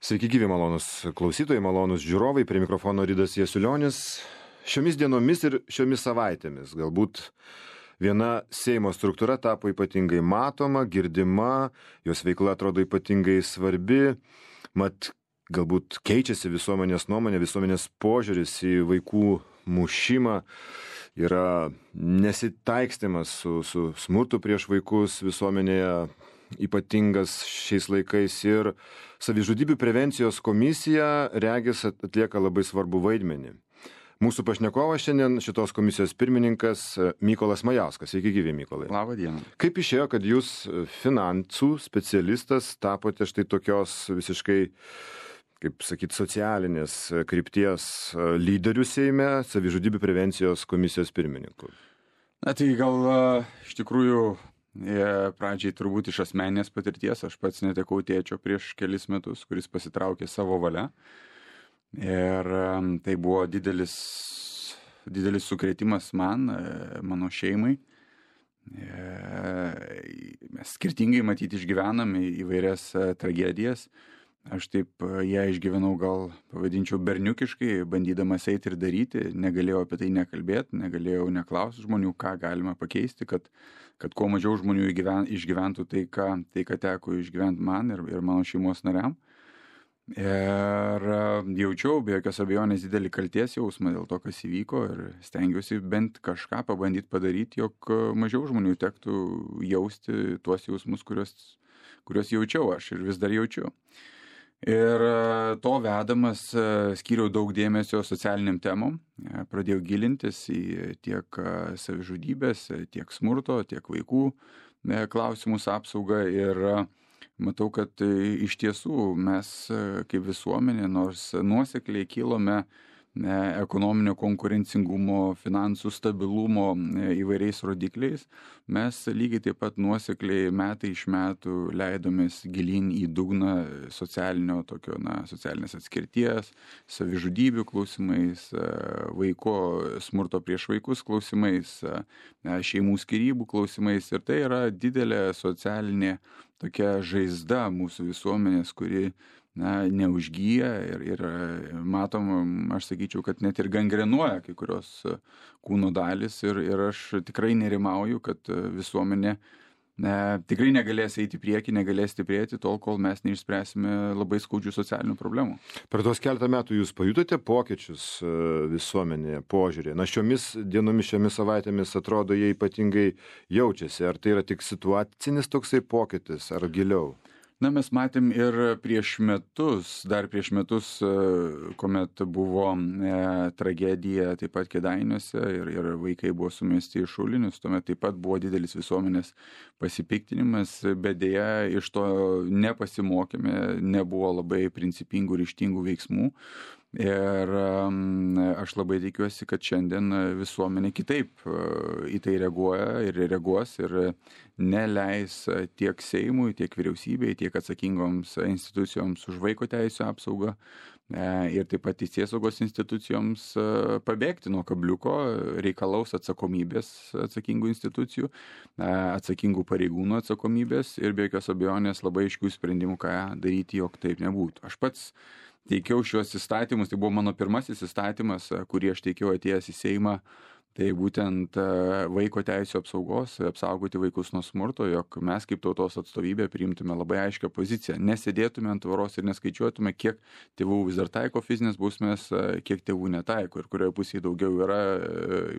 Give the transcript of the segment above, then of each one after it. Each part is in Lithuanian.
Sveiki gyvi malonus klausytojai, malonus žiūrovai, prie mikrofono Ridas Jasiulionis. Šiomis dienomis ir šiomis savaitėmis galbūt viena Seimo struktūra tapo ypatingai matoma, girdima, jos veikla atrodo ypatingai svarbi, mat galbūt keičiasi visuomenės nuomonė, visuomenės požiūris į vaikų mušimą, yra nesitaikstymas su smurtu prieš vaikus visuomenėje ypatingas šiais laikais ir savižudybių prevencijos komisija regis atlieka labai svarbų vaidmenį. Mūsų pašnekovas šiandien šitos komisijos pirmininkas Mykolas Majauskas. Sveiki gyvi, Mykolai. Labą dieną. Kaip išėjo, kad jūs finansų specialistas tapote štai tokios visiškai, kaip sakyt, socialinės krypties lyderių Seime, savižudybių prevencijos komisijos pirmininku? Na tai gal iš tikrųjų pradžiai turbūt iš asmeninės patirties. Aš pats netekau tėčio prieš kelis metus, kuris pasitraukė savo valia. Ir tai buvo didelis sukrėtimas man, mano šeimai. Mes skirtingai matyti išgyvename įvairias tragedijas. Aš taip ją išgyvenau, gal pavadinčiau berniukiškai, bandydamas eiti ir daryti. Negalėjau apie tai nekalbėti, negalėjau neklausti žmonių, ką galima pakeisti, kad kuo mažiau žmonių išgyventų tai, ką teko išgyventi man ir mano šeimos nariam. Ir jaučiau be jokios abejonės didelį kaltės jausmą dėl to, kas įvyko, ir stengiausi bent kažką pabandyti padaryti, jog mažiau žmonių tektų jausti tuos jausmus, kuriuos jaučiau aš ir vis dar jaučiu. Ir to vedamas skyriau daug dėmesio socialiniam temom, pradėjau gilintis į tiek savižudybės, tiek smurto, tiek vaikų klausimus apsaugą ir matau, kad iš tiesų mes kaip visuomenė, nors nuosekliai kilome ekonominio konkurencingumo, finansų stabilumo įvairiais rodikliais, mes lygiai taip pat nuosekliai metai iš metų leidomės gilyn į dugną socialinės atskirties, savižudybių klausimais, vaiko smurto prieš vaikus klausimais, šeimų skyrybų klausimais. Ir tai yra didelė socialinė tokia žaizda mūsų visuomenės, kuri neužgyja ir matom, aš sakyčiau, kad net ir gangrenuoja kai kurios kūno dalis ir aš tikrai nerimauju, kad visuomenė tikrai negalės eiti į priekį, negalės stiprėti tol, kol mes neišspręsime labai skaudžių socialinių problemų. Per tos keletą metų jūs pajutote pokyčius visuomenėje, požiūrį? Šiomis dienomis, šiomis savaitėmis atrodo, jie ypatingai jaučiasi. Ar tai yra tik situacinis toksai pokytis, ar giliau? Mes matėm ir dar prieš metus, kuomet buvo tragedija taip pat Kėdainiuose ir vaikai buvo sumesti į šulinius, tuomet taip pat buvo didelis visuomenės pasipiktinimas, bet deja iš to nepasimokėme, nebuvo labai principingų, ryžtingų veiksmų. Ir aš labai tikiuosi, kad šiandien visuomenė kitaip į tai reaguoja ir reaguos ir neleis tiek Seimui, tiek vyriausybei, tiek atsakingoms institucijoms už vaiko teisių apsaugą ir taip pat teisėsaugos institucijoms pabėgti nuo kabliuko, reikalaus atsakomybės atsakingų institucijų, atsakingų pareigūnų atsakomybės ir be jokios abejonės labai aiškių sprendimų, ką daryti, jog taip nebūtų. Aš pats teikiau šios įstatymus, tai buvo mano pirmasis įstatymas, kurį aš teikiau atėjęs į Seimą, tai būtent vaiko teisių apsaugos, apsaugoti vaikus nuo smurto, jog mes kaip tautos atstovybė priimtume labai aiškią poziciją, nesėdėtume ant tvoros ir neskaičiuotume, kiek tėvų vis dar taiko fizinės bausmės, kiek tėvų netaiko ir kurioje pusėje daugiau yra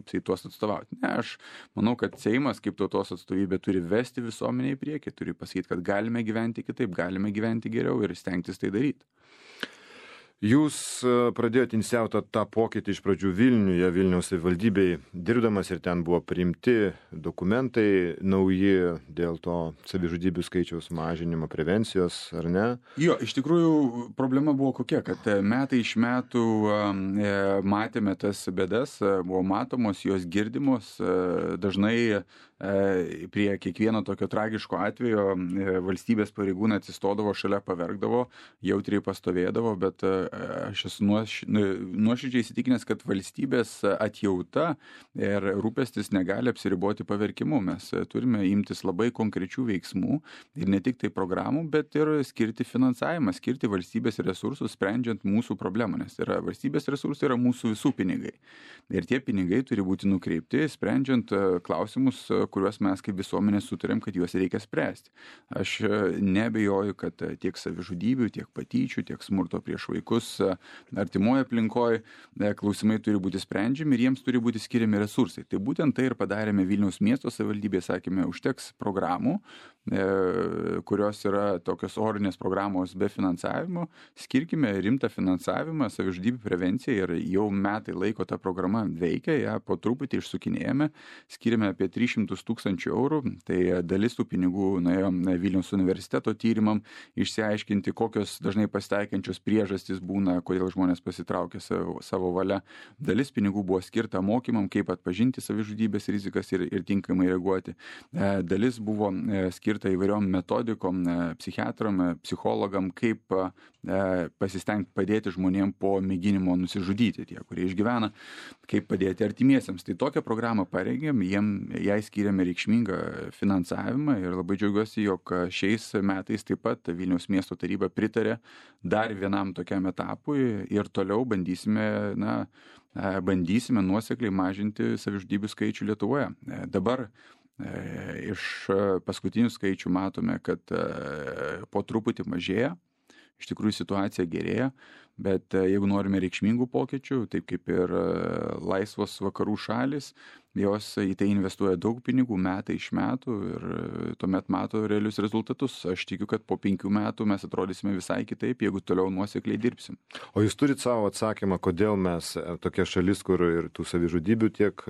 tuos atstovauti. Aš manau, kad Seimas kaip tautos atstovybė turi vesti visuomenę į priekį, turi pasakyti, kad galime gyventi kitaip, galime gyventi geriau ir stengtis tai daryti. Jūs pradėjote inicijuoti tą pokytį iš pradžių Vilniuje, Vilniaus savivaldybėj dirbdamas ir ten buvo priimti dokumentai nauji dėl to savižudybių skaičiaus mažinimo, prevencijos, ar ne? Jo, iš tikrųjų problema buvo kokia, kad metai iš metų matėme tas bėdas, buvo matomos, jos girdimos, dažnai prie kiekvieno tokio tragiško atvejo valstybės pareigūnai atsistodavo šalia, paverkdavo, jautriai pastovėdavo, bet aš esu nuoširdžiai įsitikinęs, kad valstybės atjauta ir rūpestis negali apsiriboti paverkimu. Mes turime imtis labai konkrečių veiksmų ir ne tik tai programų, bet ir skirti finansavimą, skirti valstybės resursus, sprendžiant mūsų problemą, nes valstybės resursai yra mūsų visų pinigai. Ir tie pinigai turi būti nukreipti, sprendžiant klausimus, kuriuos mes kaip visuomenė sutarėm, kad juos reikia spręsti. Aš neabejoju, kad tiek savižudybių, tiek patyčių, tiek smurto prieš vaikus artimoje aplinkoje klausimai turi būti sprendžiami ir jiems turi būti skiriami resursai. Tai būtent tai ir padarėme Vilniaus miesto savivaldybėje, sakėme, užteks programų, kurios yra tokios orinės programos be finansavimo, skirkime rimtą finansavimą savižudybių prevencijai ir jau metai laiko ta programa veikia, ją po truputį išsukinėjame, skiriame apie 300 000 eurų, tai dalis tų pinigų nuėjo Vilniaus universiteto tyrimam, išsiaiškinti, kokios dažnai pasitaikančios priežastys būna, kodėl žmonės pasitraukia savo valia. Dalis pinigų buvo skirta mokymam, kaip atpažinti savižudybės rizikas ir tinkamai reaguoti. Dalis buvo skirta įvairiom metodikom, psichiatram, psichologam, kaip pasistengti padėti žmonėm po mėginimo nusižudyti, tie, kurie išgyvena, kaip padėti artimiesiems. Tai tokią programą parengėm, jai skiriame reikšmingą finansavimą ir labai džiaugiuosi, jog šiais metais taip pat Vilniaus miesto taryba pritarė dar vienam tokiam etapui ir toliau bandysime nuosekliai mažinti savižudybių skaičių Lietuvoje. Dabar iš paskutinių skaičių matome, kad po truputį mažėja, iš tikrųjų situacija gerėja, bet jeigu norime reikšmingų pokyčių, taip kaip ir laisvos vakarų šalis, jos į tai investuoja daug pinigų metai iš metų ir tuomet mato realius rezultatus. Aš tikiu, kad po 5 metų mes atrodysime visai kitaip, jeigu toliau nuosekliai dirbsim. O jūs turit savo atsakymą, kodėl mes tokia šalis, kur ir tų savižudybių tiek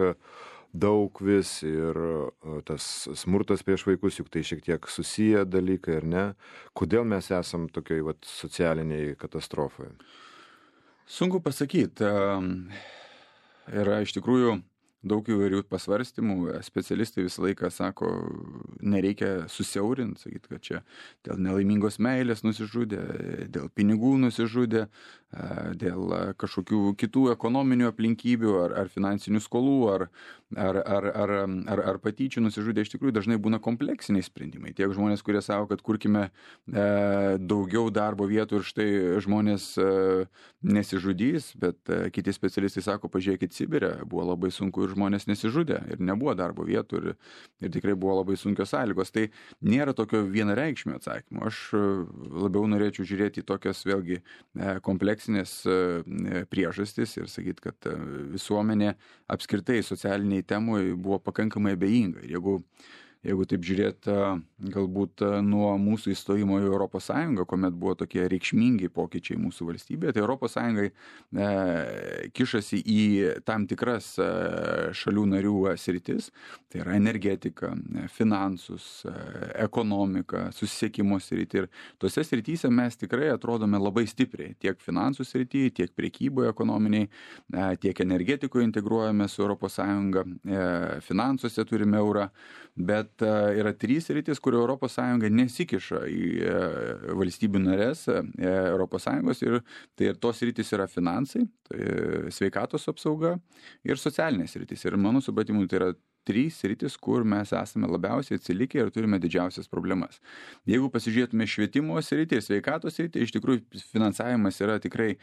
daug vis ir tas smurtas prieš vaikus, juk tai šiek tiek susiję dalykai, ar ne? Kodėl mes esam tokioj socialiniai katastrofoje? Sunku pasakyti. Yra iš tikrųjų daug įvairių pasvarstymų. Specialistai visą laiką sako, nereikia susiaurinti, sakyti, kad čia dėl nelaimingos meilės nusižudė, dėl pinigų nusižudė, dėl kažkokių kitų ekonominių aplinkybių ar finansinių skolų ar patyčių nusižudė. Iš tikrųjų dažnai būna kompleksiniai sprendimai. Tiek žmonės, kurie sako, kad kurkime daugiau darbo vietų ir štai žmonės nesižudys, bet kiti specialistai sako, pažiūrėkit Sibire, buvo labai sunku ir žmonės nesižudė ir nebuvo darbo vietų ir tikrai buvo labai sunkios sąlygos. Tai nėra tokio vienareikšmio atsakymo. Aš labiau norėčiau žiūrėti į tokias vėlgi kompleksinės priežastis ir sakyti, kad visuomenė apskritai socialiniai temui buvo pakankamai abejinga. Jeigu taip žiūrėt, galbūt nuo mūsų įstojimo į Europos Sąjungą, kuomet buvo tokie reikšmingi pokyčiai mūsų valstybėje, tai Europos Sąjungai kišasi į tam tikras šalių narių sritis, tai yra energetika, finansus, ekonomika, susisiekimo sritį. Ir tose srityse mes tikrai atrodome labai stipriai, tiek finansų srityje, tiek prekyboje ekonominiai, tiek energetikoje integruojame su Europos Sąjunga, finansuose turime eurą, bet yra 3 sritys, kur Europos Sąjunga nesikiša į valstybių narės Europos Sąjungos ir tai ir tos sritys yra finansai, tai sveikatos apsauga ir socialinės sritys. Ir mano supratimu tai yra 3 sritis, kur mes esame labiausiai atsilikę ir turime didžiausias problemas. Jeigu pasižiūrėtume švietimo sritį ir sveikatos sritį, iš tikrųjų finansavimas yra tikrai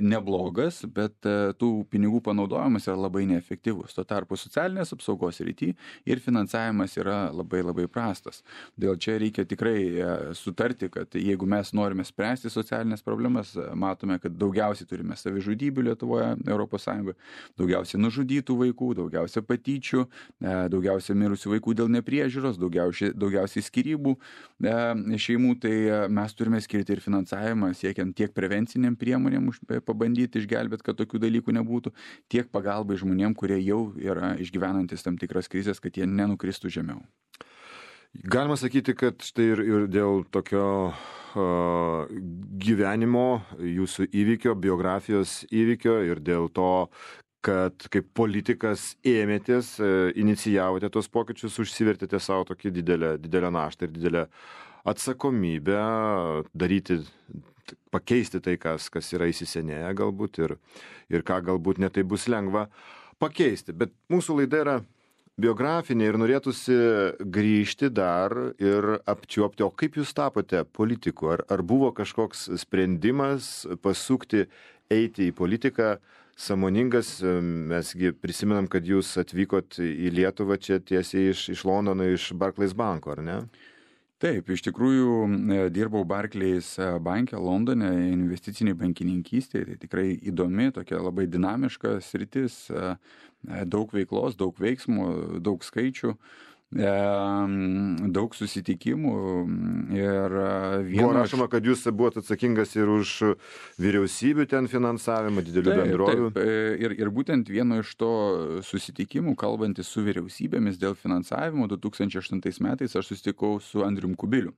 neblogas, bet tų pinigų panaudojimas yra labai neefektyvus. Tuo tarpu socialinės apsaugos srity ir finansavimas yra labai labai prastas. Dėl čia reikia tikrai sutarti, kad jeigu mes norime spręsti socialinės problemas, matome, kad daugiausiai turime savižudybių Lietuvoje, Europos Sąjungoje, daugiausiai nužudytų vaikų, daugiausiai patyčių, daugiausiai mirusių vaikų dėl nepriežiūros, daugiausiai skyrybų šeimų, tai mes turime skirti ir finansavimą, siekiant tiek prevenciniam priemonėm pabandyti išgelbėti, kad tokių dalykų nebūtų, tiek pagalbai žmonėm, kurie jau yra išgyvenantis tam tikras krizės, kad jie nenukristų žemiau. Galima sakyti, kad štai ir dėl tokio gyvenimo, jūsų įvykio, biografijos įvykio ir dėl to, kad kaip politikas ėmėtės, inicijavote tos pokyčius, užsivertėte savo tokį didelę naštą ir didelę atsakomybę daryti, pakeisti tai, kas yra įsisenėję galbūt ir ką galbūt netai bus lengva pakeisti. Bet mūsų laida yra biografinė ir norėtųsi grįžti dar ir apčiuopti, o kaip jūs tapote politiku? Ar buvo kažkoks sprendimas pasukti, eiti į politiką sąmoningas? Mesgi prisimenam, kad jūs atvykot į Lietuvą čia tiesiai iš Londono, iš Barclays banko, ar ne? Taip, iš tikrųjų dirbau Barclays banke Londone, investiciniai bankininkystėje, tai tikrai įdomi, tokia labai dinamiška sritis, daug veiklos, daug veiksmų, daug skaičių, daug susitikimų ir Buvo rašoma, kad jūs buvote atsakingas ir už vyriausybių ten finansavimą, didelių bendrovių. Taip, ir būtent vieno iš to susitikimų, kalbantis su vyriausybėmis dėl finansavimo 2008 metais, aš susitikau su Andrium Kubiliu.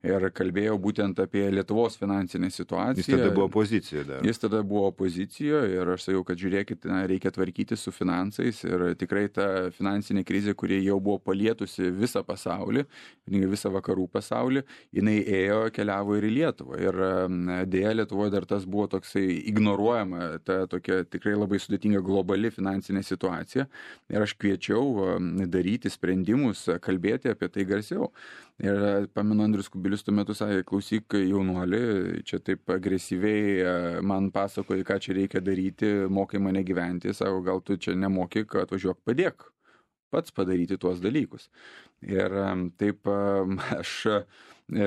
Ir kalbėjau būtent apie Lietuvos finansinę situaciją. Jis tada buvo opozicijoje dar. Jis tada buvo opozicijoje ir aš sakiau, kad žiūrėkit, reikia tvarkyti su finansais ir tikrai ta finansinė krizė, kuri jau buvo palietusi visą pasaulį, visą vakarų pasaulį, jinai keliavo ir į Lietuvą. Ir dėja Lietuvoje dar tas buvo toksai ignoruojama, ta tokia tikrai labai sudėtinga globali finansinė situacija. Ir aš kviečiau daryti sprendimus, kalbėti apie tai garsiau. Ir pamenu, Andrius Kubilius tuo metu sakė, klausyk jaunuoli, čia taip agresyviai man pasakoji, ką čia reikia daryti, mokai mane gyventi, sako, gal tu čia nemokyk, atvažiuok padėk pats padaryti tuos dalykus. Ir taip aš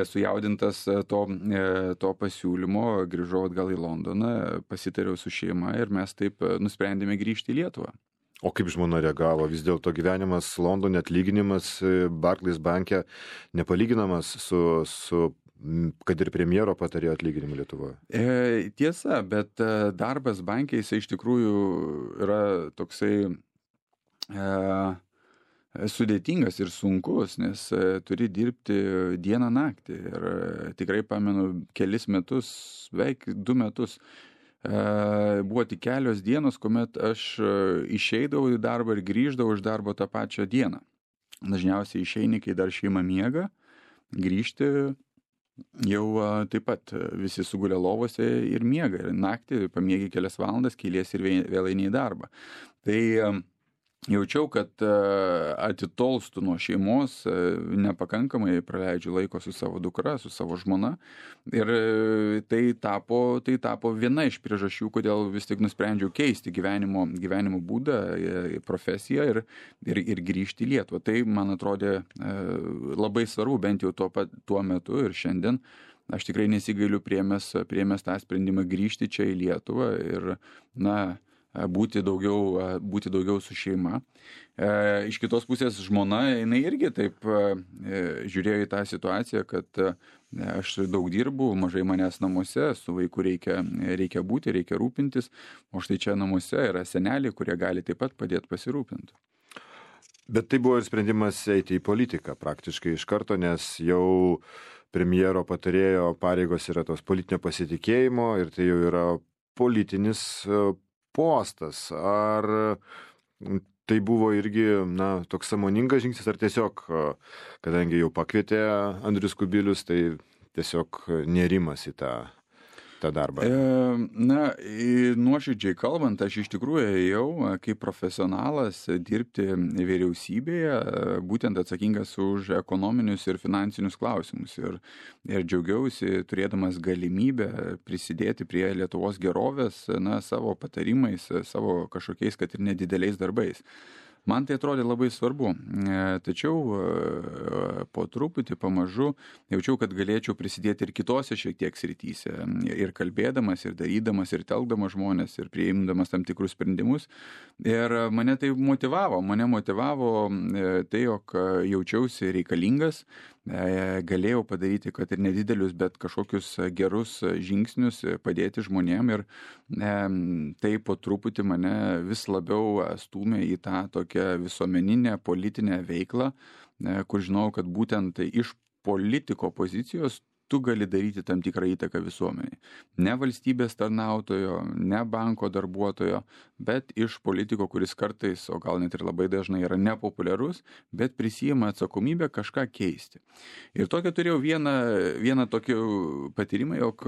sujaudintas to pasiūlymo grįžau atgal į Londoną, pasitariau su šeima ir mes taip nusprendėme grįžti į Lietuvą. O kaip žmona reagavo? Vis dėlto gyvenimas Londone, atlyginimas Barclays banke nepalyginamas su kad ir premjero patarėjo atlyginimu Lietuvoje. Tiesa, bet darbas banke jisai iš tikrųjų yra toksai sudėtingas ir sunkus, nes turi dirbti dieną naktį. Ir tikrai pamenu kelis metus, beveik 2 metus, buvo tik kelios dienos, kuomet aš išeidavau į darbą ir grįždavau iš darbo tą pačią dieną. Dažniausiai išeini, kai dar šeima miega, grįžti jau taip pat visi sugulė lovose ir miega. Ir naktį pamiegi kelias valandas, kelies ir vėl eini į darbą. Tai jaučiau, kad atitolstu nuo šeimos, nepakankamai praleidžiu laiko su savo dukra, su savo žmona. Ir tai tapo viena iš priežasčių, kodėl vis tik nusprendžiau keisti gyvenimo būdą, profesiją ir grįžti į Lietuvą. Tai man atrodė labai svarbu, bent jau tuo metu ir šiandien. Aš tikrai nesigailiu priėmęs tą sprendimą grįžti čia į Lietuvą ir, būti daugiau su šeima. Iš kitos pusės žmona, jinai irgi taip žiūrėjo į tą situaciją, kad aš daug dirbu, mažai manęs namuose, su vaiku reikia būti, reikia rūpintis, o štai čia namuose yra seneliai, kurie gali taip pat padėti pasirūpinti. Bet tai buvo ir sprendimas eiti į politiką praktiškai iš karto, nes jau premjero patarėjo pareigos yra tos politinio pasitikėjimo ir tai jau yra politinis postas. Ar tai buvo irgi toks sąmoningas žingsnis, ar tiesiog, kadangi jau pakvietė Andrius Kubilius, tai tiesiog nerimas į tą darbą? Nuoširdžiai kalbant, aš iš tikrųjų ėjau kaip profesionalas dirbti vyriausybėje, būtent atsakingas už ekonominius ir finansinius klausimus. Ir džiaugiausi turėdamas galimybę prisidėti prie Lietuvos gerovės, savo patarimais, savo kažkokiais, kad ir nedideliais darbais. Man tai atrodė labai svarbu, tačiau po truputį pamažu jaučiau, kad galėčiau prisidėti ir kitose šiek tiek srityse, ir kalbėdamas, ir darydamas, ir telkdamas žmonės, ir priimdamas tam tikrus sprendimus. Ir mane tai motivavo, tai, jog jaučiausi reikalingas, galėjau padaryti, kad ir nedidelius, bet kažkokius gerus žingsnius padėti žmonėm ir tai po truputį mane vis labiau stūmė į tą tokią visuomeninę politinę veiklą, kur žinau, kad būtent iš politiko pozicijos tu gali daryti tam tikrą įtaką visuomeniai. Ne valstybės tarnautojo, ne banko darbuotojo, bet iš politiko, kuris kartais, o gal net ir labai dažnai yra nepopuliarus, bet prisijima atsakomybę kažką keisti. Ir tokia turėjau vieną tokį patyrimą, jog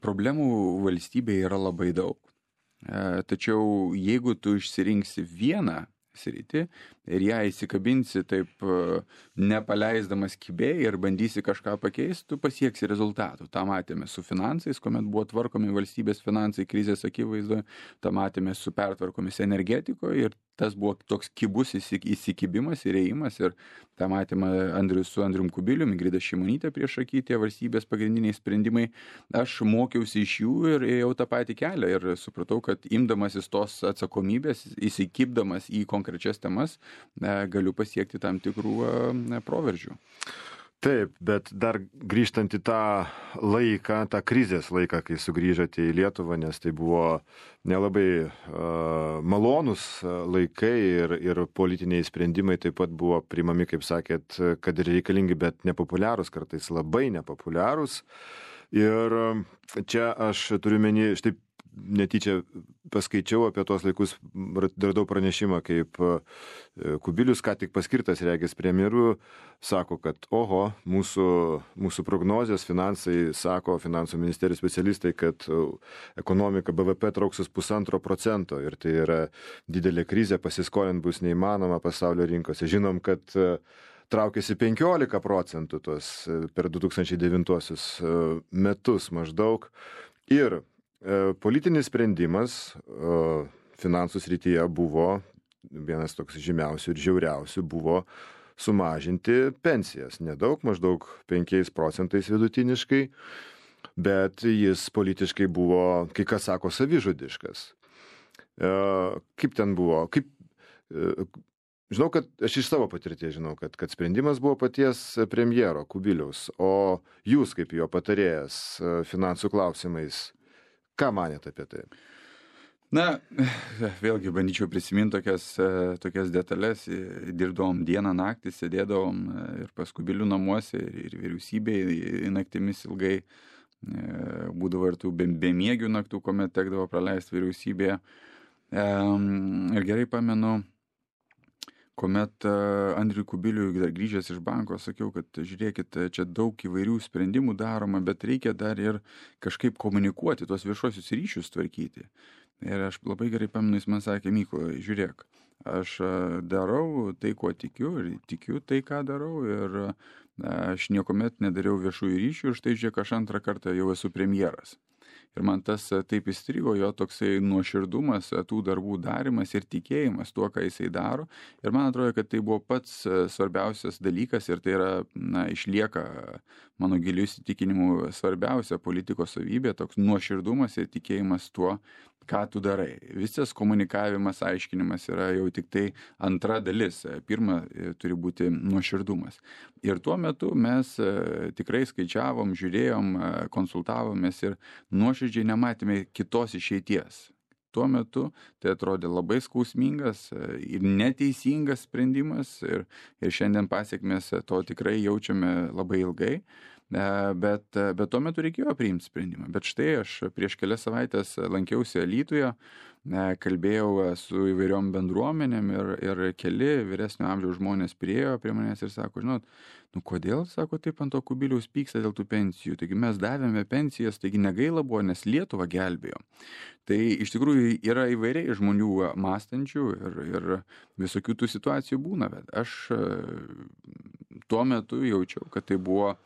problemų valstybėje yra labai daug. Tačiau jeigu tu išsirinksi vieną sritį ir ją įsikabinsi taip nepaleisdamas kibėjai ir bandysi kažką pakeisti, tu pasieksi rezultatų. Ta matėme su finansais, kuomet buvo tvarkomi valstybės finansai krizės akivaizdoje, tą matėme su pertvarkomis energetikoje ir tas buvo toks kibus įsikibimas ir ėjimas ir tą matėme su Andrium Kubilium, Ingrida Šimonytė prieš akį, tie valstybės pagrindiniai sprendimai. Aš mokiausi iš jų ir ėjau tą patį kelią ir supratau, kad imdamasis tos atsakomybės, įsikibdamas į konkrečias temas, galiu pasiekti tam tikrų proveržių. Taip, bet dar grįžtant į tą laiką, tą krizės laiką, kai sugrįžote į Lietuvą, nes tai buvo nelabai malonus laikai ir politiniai sprendimai taip pat buvo priimami, kaip sakėt, kad ir reikalingi, bet nepopuliarūs, kartais labai nepopuliarūs. Ir čia aš turiu menį, štai netyčia paskaičiau apie tos laikus, radau pranešimą, kaip Kubilius, ką tik paskirtas regis premjeru, sako, kad mūsų prognozės finansai, sako finansų ministerijos specialistai, kad ekonomika BVP trauksis 1,5% ir tai yra didelė krizė, pasiskolint bus neįmanoma pasaulio rinkose. Žinom, kad traukėsi 15% tos per 2009 metus maždaug. Ir politinis sprendimas finansų srityje buvo, vienas toks žymiausių ir žiauriausių, buvo sumažinti pensijas. Nedaug, maždaug 5% vidutiniškai, bet jis politiškai buvo, kai kas sako, savižudiškas. Kaip ten buvo? Žinau, kad aš iš savo patirties žinau, kad sprendimas buvo paties premjero Kubiliaus, o jūs kaip jo patarėjas finansų klausimais, ką manėte apie tai? Na, vėlgi bandyčiau prisiminti tokias detalės. Dirbdavom dieną naktį, sėdėdavom ir pas Kubilių namuose ir vyriausybėje naktimis ilgai. Būdavo ir tų bemiegių naktų, kuomet tekdavo praleisti vyriausybėje. Ir gerai pamenu, kuomet Andriui Kubiliui dar grįžęs iš banko, sakiau, kad žiūrėkit, čia daug įvairių sprendimų daroma, bet reikia dar ir kažkaip komunikuoti, tuos viešuosius ryšius tvarkyti. Ir aš labai gerai pamenu, jis man sakė, Mykolai, žiūrėk, aš darau tai, kuo tikiu ir tikiu tai, ką darau ir aš niekuomet nedariau viešųjų ryšių ir štai žiūrėk, aš antrą kartą jau esu premjeras. Ir man tas taip įstrigo, jo toksai nuoširdumas, tų darbų darimas ir tikėjimas tuo, ką jisai daro. Ir man atrodo, kad tai buvo pats svarbiausias dalykas ir tai yra, išlieka mano giliu įsitikinimu svarbiausia politikos savybė, toks nuoširdumas ir tikėjimas tuo, ką tu darai. Visas komunikavimas, aiškinimas yra jau tik tai antra dalis. Pirma, turi būti nuoširdumas. Ir tuo metu mes tikrai skaičiavom, žiūrėjom, konsultavomės ir nuoširdžiai nematėme kitos išeities. Tuo metu tai atrodė labai skausmingas ir neteisingas sprendimas ir šiandien pasiekmes to tikrai jaučiame labai ilgai. Bet tuo metu reikėjo priimti sprendimą. Bet štai aš prieš kelias savaitės lankiausi Alytuje, kalbėjau su įvairiom bendruomenėm ir keli vyresnio amžiaus žmonės priėjo prie manęs ir sako, žinot, kodėl, sako, taip ant to Kubiliaus pyksta dėl tų pensijų. Taigi mes davėme pensijas, taigi negaila buvo, nes Lietuvą gelbėjo. Tai iš tikrųjų yra įvairiai žmonių mąstančių ir visokių tų situacijų būna, bet aš tuo metu jaučiau, kad tai buvo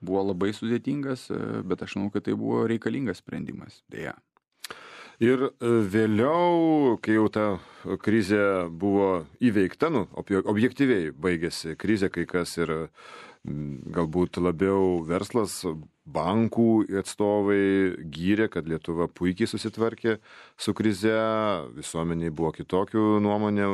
labai sudėtingas, bet aš manau, kad tai buvo reikalingas sprendimas, dėja. Ir vėliau, kai jau ta krizė buvo įveikta, objektyviai baigėsi krizė, kai kas ir galbūt labiau verslas, bankų atstovai gyrė, kad Lietuva puikiai susitvarkė su krize, visuomeniai buvo kitokių nuomonių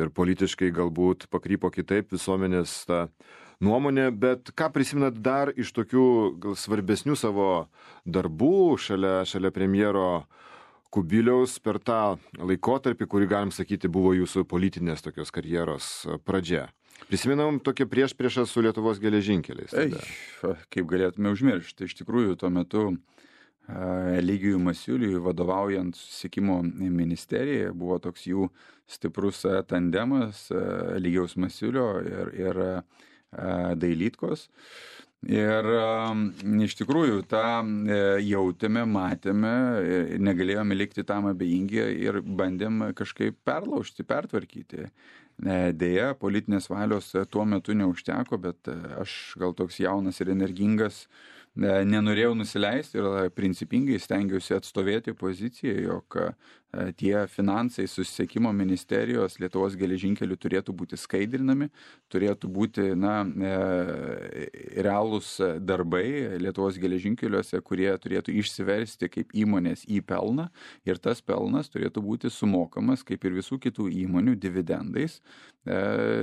ir politiškai galbūt pakrypo kitaip visuomenės ta nuomonė, bet ką prisimenat dar iš tokių gal svarbesnių savo darbų šalia premjero Kubiliaus per tą laikotarpį, kurį galim sakyti buvo jūsų politinės tokios karjeros pradžia? Prisimenam tokią priešpriešą su Lietuvos geležinkeliais. Kaip galėtume užmiršti. Iš tikrųjų, tuo metu Eligijui Masiuliui vadovaujant susisiekimo ministerijai buvo toks jų stiprus tandemas Eligijaus Masiulio ir Dailydkos. Ir iš tikrųjų tą jautėme, matėme, negalėjome likti tam abejingi ir bandėm kažkaip perlaužti, pertvarkyti. Deja, politinės valios tuo metu neužteko, bet aš gal toks jaunas ir energingas nenorėjau nusileisti ir principingai stengiausi atstovėti poziciją, jog tie finansai susisiekimo ministerijos Lietuvos geležinkelių turėtų būti skaidrinami, turėtų būti realūs darbai Lietuvos geležinkeliuose, kurie turėtų išsiversti kaip įmonės į pelną ir tas pelnas turėtų būti sumokamas kaip ir visų kitų įmonių dividendais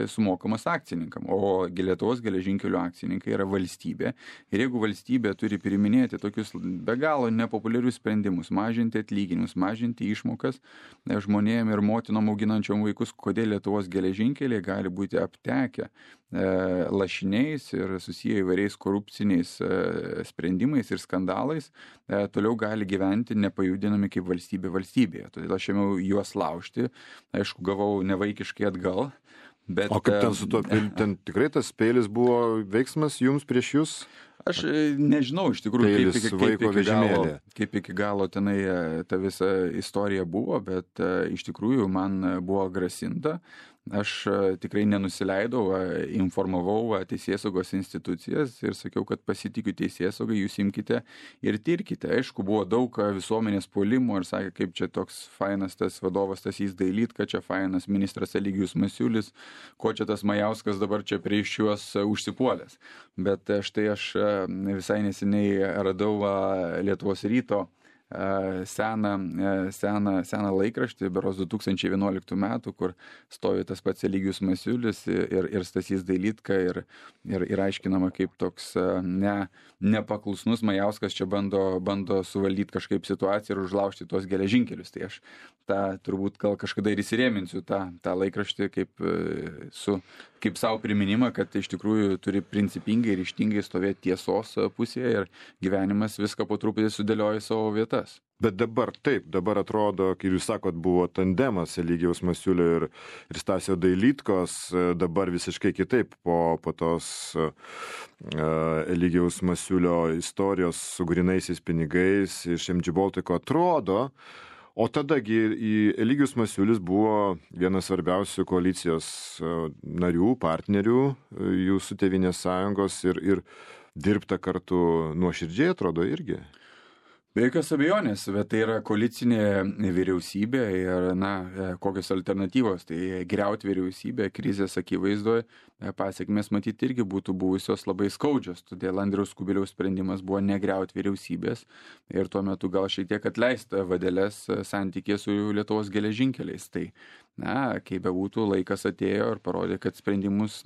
sumokamas akcininkam. O Lietuvos geležinkelių akcininkai yra valstybė ir jeigu valstybė turi priiminėti tokius be galo nepopuliarius sprendimus, mažinti atlyginimus, mažinti išmokas žmonėm ir motinom auginančiom vaikus, kodėl Lietuvos geležinkeliai gali būti aptekę lašiniais ir susiję įvairiais korupciniais sprendimais ir skandalais, toliau gali gyventi nepajudinami kaip valstybė valstybėje. Todėl aš ėmiau juos laužti, aišku, gavau nevaikiškai atgal. Bet, o kaip ten su to, ten tikrai tas peilis buvo veiksmas jums prieš jūs? Aš nežinau iš tikrųjų, kaip iki galo tenai ta visa istorija buvo, bet iš tikrųjų man buvo grasinta. Aš tikrai nenusileidau, informavau teisėsaugos institucijas ir sakiau, kad pasitikiu teisėsaugai, jūs imkite ir tirkite. Aišku, buvo daug visuomenės puolimo ir sakė, kaip čia toks fainas tas vadovas Stasys Dailydka, čia fainas ministras Eligijus Masiulis, ko čia tas Majauskas dabar čia prieš juos užsipuolęs. Bet štai aš visai neseniai radau Lietuvos ryto seną laikraštį, berods 2011 metų, kur stovi tas pats Eligijus Masiulis ir Stasys Dailydka ir aiškinama, kaip toks nepaklusnus Majauskas čia bando suvaldyti kažkaip situaciją ir užlaužti tuos geležinkelius. Tai aš tą turbūt gal kažkada ir įsirėminsiu tą laikraštį kaip savo priminimą, kad iš tikrųjų turi principingai ir ryžtingai stovėti tiesos pusėje ir gyvenimas viską po truputį sudėlioja į savo vietas. Bet dabar atrodo, kai jūs sakot, buvo tandemas Eligijaus Masiulio ir Stasio Dailydkos, dabar visiškai kitaip po tos Eligijaus Masiulio istorijos su grynaisiais pinigais iš MG Baltico atrodo. O tadagi Eligijus Masiulis buvo vienas svarbiausių koalicijos narių, partnerių jūsų Tėvynės sąjungos ir dirbta kartu nuoširdžiai atrodo irgi. Be jokios abejonės, bet tai yra koalicinė vyriausybė ir, kokios alternatyvos, tai griauti vyriausybę krizės akivaizdoje, pasiekmės matyti irgi būtų buvusios labai skaudžios, todėl Andriaus Kubiliaus sprendimas buvo negriauti vyriausybės ir tuo metu gal šiek tiek atleista vadeles santykė su Lietuvos geležinkeliais. Tai, kaip bebūtų, laikas atėjo ir parodė, kad sprendimus,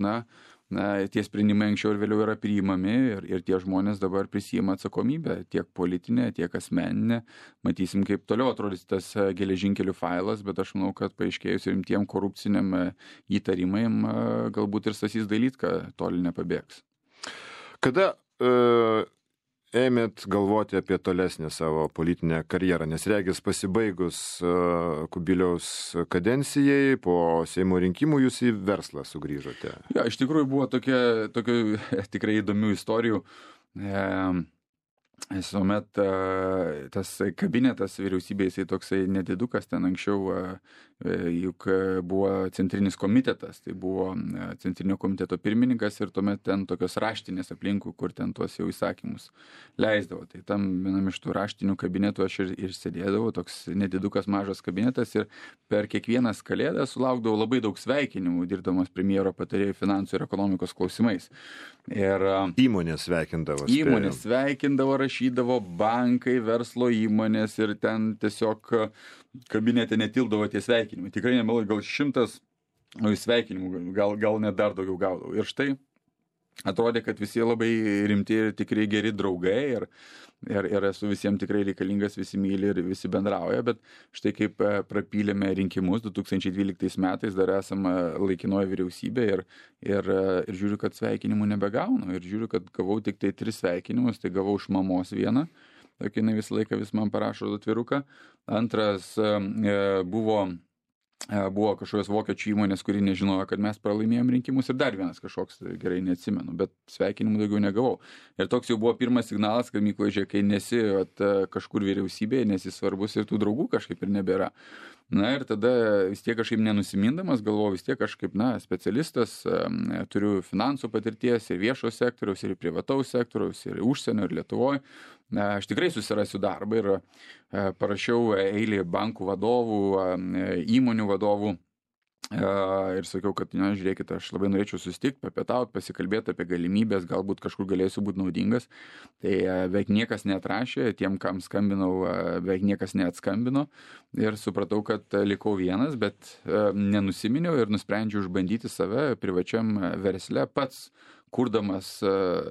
tie sprendimai anksčiau ir vėliau yra priimami ir tie žmonės dabar prisima atsakomybę, tiek politinę, tiek asmeninę. Matysim, kaip toliau atrodys tas geležinkelių failas, bet aš manau, kad paaiškėjus rimtiem korupciniam įtarimam, galbūt ir Stasys Dailydka toli nepabėgs. Kada ėmėt galvoti apie tolesnę savo politinę karjerą, nes regis pasibaigus Kubiliaus kadencijai, po Seimo rinkimų jūs į verslą sugrįžote? Ja, iš tikrųjų buvo tokių tikrai įdomių istorijų. Visuomet tas kabinetas vyriausybėje, jisai toksai nedidukas, ten anksčiau juk buvo centrinis komitetas, tai buvo centrinio komiteto pirmininkas ir tuomet ten tokios raštinės aplinkų, kur ten tuos jau įsakymus leisdavo. Tai tam vienam iš tų raštinių kabinetų aš ir sėdėdavau, toks nedidukas mažas kabinetas ir per kiekvienas kalėdas sulaukdavau labai daug sveikinimų, dirbdamas premjero patarėjų finansų ir ekonomikos klausimais. Ir įmonės sveikindavo. Įmonės sveikindavo, rašydavo bankai, verslo įmonės ir ten tiesiog kabinete netildavo tie sveikinimai. Tikrai nemeluoju, gal 100 sveikinimų, gal net dar daugiau gaudavau. Ir štai atrodė, kad visi labai rimti ir tikrai geri draugai ir esu visiems tikrai reikalingas, visi myli ir visi bendrauja, bet štai kaip prapylėme rinkimus 2012 metais, dar esame laikinoje vyriausybė ir žiūriu, kad sveikinimų nebegaunu ir žiūriu, kad gavau tik tai 3 sveikinimus, tai gavau iš mamos vieną, tokia jinai visą laiką vis man parašo atviruką, antras buvo kažkokios vokiečių įmonės, kuri nežinojo, kad mes pralaimėjom rinkimus ir dar vienas kažkoks, gerai neatsimenu, bet sveikinimų daugiau negavau. Ir toks jau buvo pirmas signalas, kad Mykolai, žiūrėk, kai nesi kažkur vyriausybėje, nesi svarbus ir tų draugų kažkaip ir nebėra. Na ir tada vis tiek kažkaip nenusimindamas galvoju, vis tiek kažkaip, specialistas, turiu finansų patirties ir viešo sektoriaus, ir privataus sektoriaus, ir užsienio, ir Lietuvoje. Aš tikrai susirasiu darbą ir parašiau eilį bankų vadovų, įmonių vadovų. Ir sakiau, kad, žiūrėkit, aš labai norėčiau susitikti, papietauti, pasikalbėti apie galimybės, galbūt kažkur galėsiu būti naudingas. Tai beveik niekas neatrašė, tiem, kam skambinau, beveik niekas neatskambino. Ir supratau, kad likau vienas, bet nenusiminiau ir nusprendžiau išbandyti save privačiam versle pats, kurdamas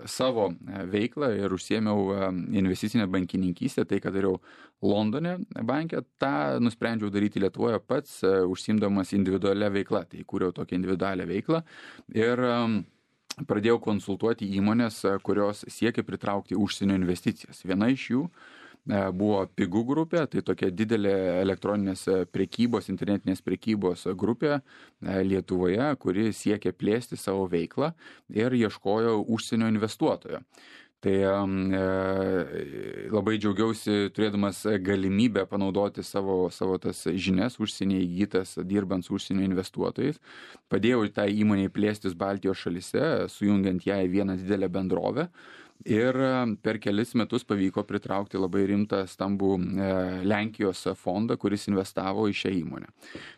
savo veiklą ir užsiėmiau investicinę bankininkystę, tai, kad dariau Londone banke, tą nusprendžiau daryti Lietuvoje pats, užsiimdamas individualią veiklą. Tai kūriau tokią individualią veiklą ir pradėjau konsultuoti įmonės, kurios siekia pritraukti užsienio investicijas. Viena iš jų buvo Pigų grupė, tai tokia didelė elektroninės prekybos, internetinės prekybos grupė Lietuvoje, kuri siekia plėsti savo veiklą ir ieškojo užsienio investuotojo. Tai labai džiaugiausi turėdamas galimybę panaudoti savo tas žinias užsienyje įgytas dirbant su užsienio investuotojais. Padėjau tą įmonę plėstis Baltijos šalyse, sujungiant ją į vieną didelę bendrovę. Ir per kelis metus pavyko pritraukti labai rimtą stambų Lenkijos fondą, kuris investavo į šią įmonę.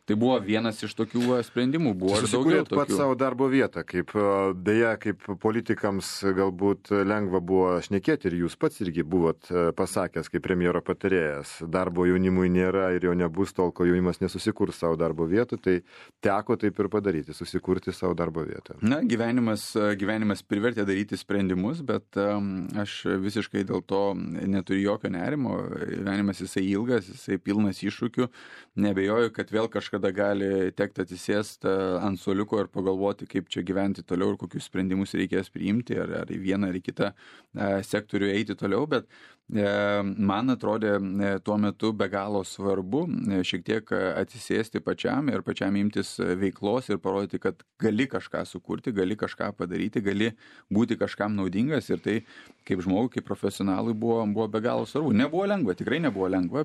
Tai buvo vienas iš tokių sprendimų. Buvo ir daugiau tokių. Pats savo darbo vietą, kaip politikams galbūt lengva buvo šnekėti ir jūs pats irgi buvot pasakęs kaip premjero patarėjas. Darbo jaunimui nėra ir jo nebus tol, kol jaunimas nesusikurs savo darbo vietų, tai teko taip ir padaryti, susikurti savo darbo vietą. Na, gyvenimas privertė daryti sprendimus, bet aš visiškai dėl to neturiu jokio nerimo. Gyvenimas jisai ilgas, jisai pilnas iššūkių. Nebejoju, kad vėl kažkada gali tekti atsisėsti ant suoliuko ir pagalvoti, kaip čia gyventi toliau ir kokius sprendimus reikės priimti, ar į vieną ar į kitą sektorių eiti toliau, bet man atrodė tuo metu be galo svarbu šiek tiek atsisėsti pačiam ir pačiam imtis veiklos ir parodyti, kad gali kažką sukurti, gali kažką padaryti, gali būti kažkam naudingas ir tai kaip žmogui, kaip profesionalui buvo be galo svarbu. Nebuvo lengva, tikrai nebuvo lengva,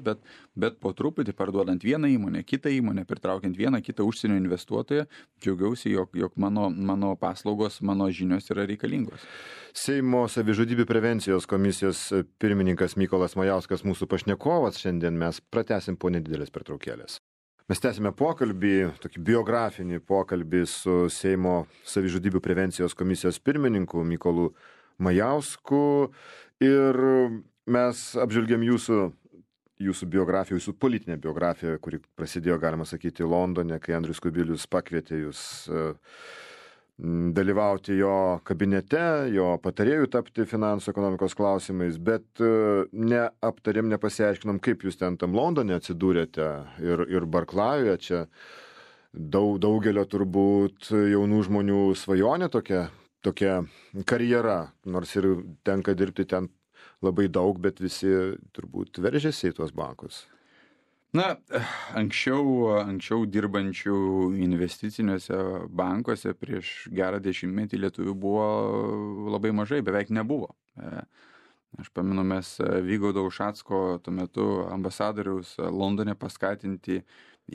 bet po truputį parduodant vieną įmonę, kitą įmonę, pritraukiant vieną kitą užsienio investuotoją, džiaugiausi, jog mano paslaugos, mano žinios yra reikalingos. Seimo savižudybių prevencijos komisijos pirmininkas Mykolas Majauskas mūsų pašnekovas. Šiandien mes pratęsim po nedidelės pertraukėlės. Mes tęsime pokalbį, tokį biografinį pokalbį su Seimo savižudybių prevencijos komisijos pirmininku Mykolu Majausku ir mes apžvelgėm jūsų biografiją, jūsų politinę biografiją, kuri prasidėjo, galima sakyti, Londone, kai Andrius Kubilius pakvietė jūs dalyvauti jo kabinete, jo patarėjų tapti finansų ekonomikos klausimais, bet neaptarėm, nepasiaiškinom, kaip jūs ten tam Londone atsidūrėte ir Barklajuje. Čia daugelio turbūt jaunų žmonių svajonė tokia karjera, nors ir tenka dirbti ten labai daug, bet visi turbūt veržėsi į tuos bankus. Na, anksčiau dirbančių investiciniuose bankuose prieš gerą dešimtmetį lietuvių buvo labai mažai, beveik nebuvo. Aš pamenu, mes Vygaudo Ušacko tuo metu ambasadoriaus Londone paskatinti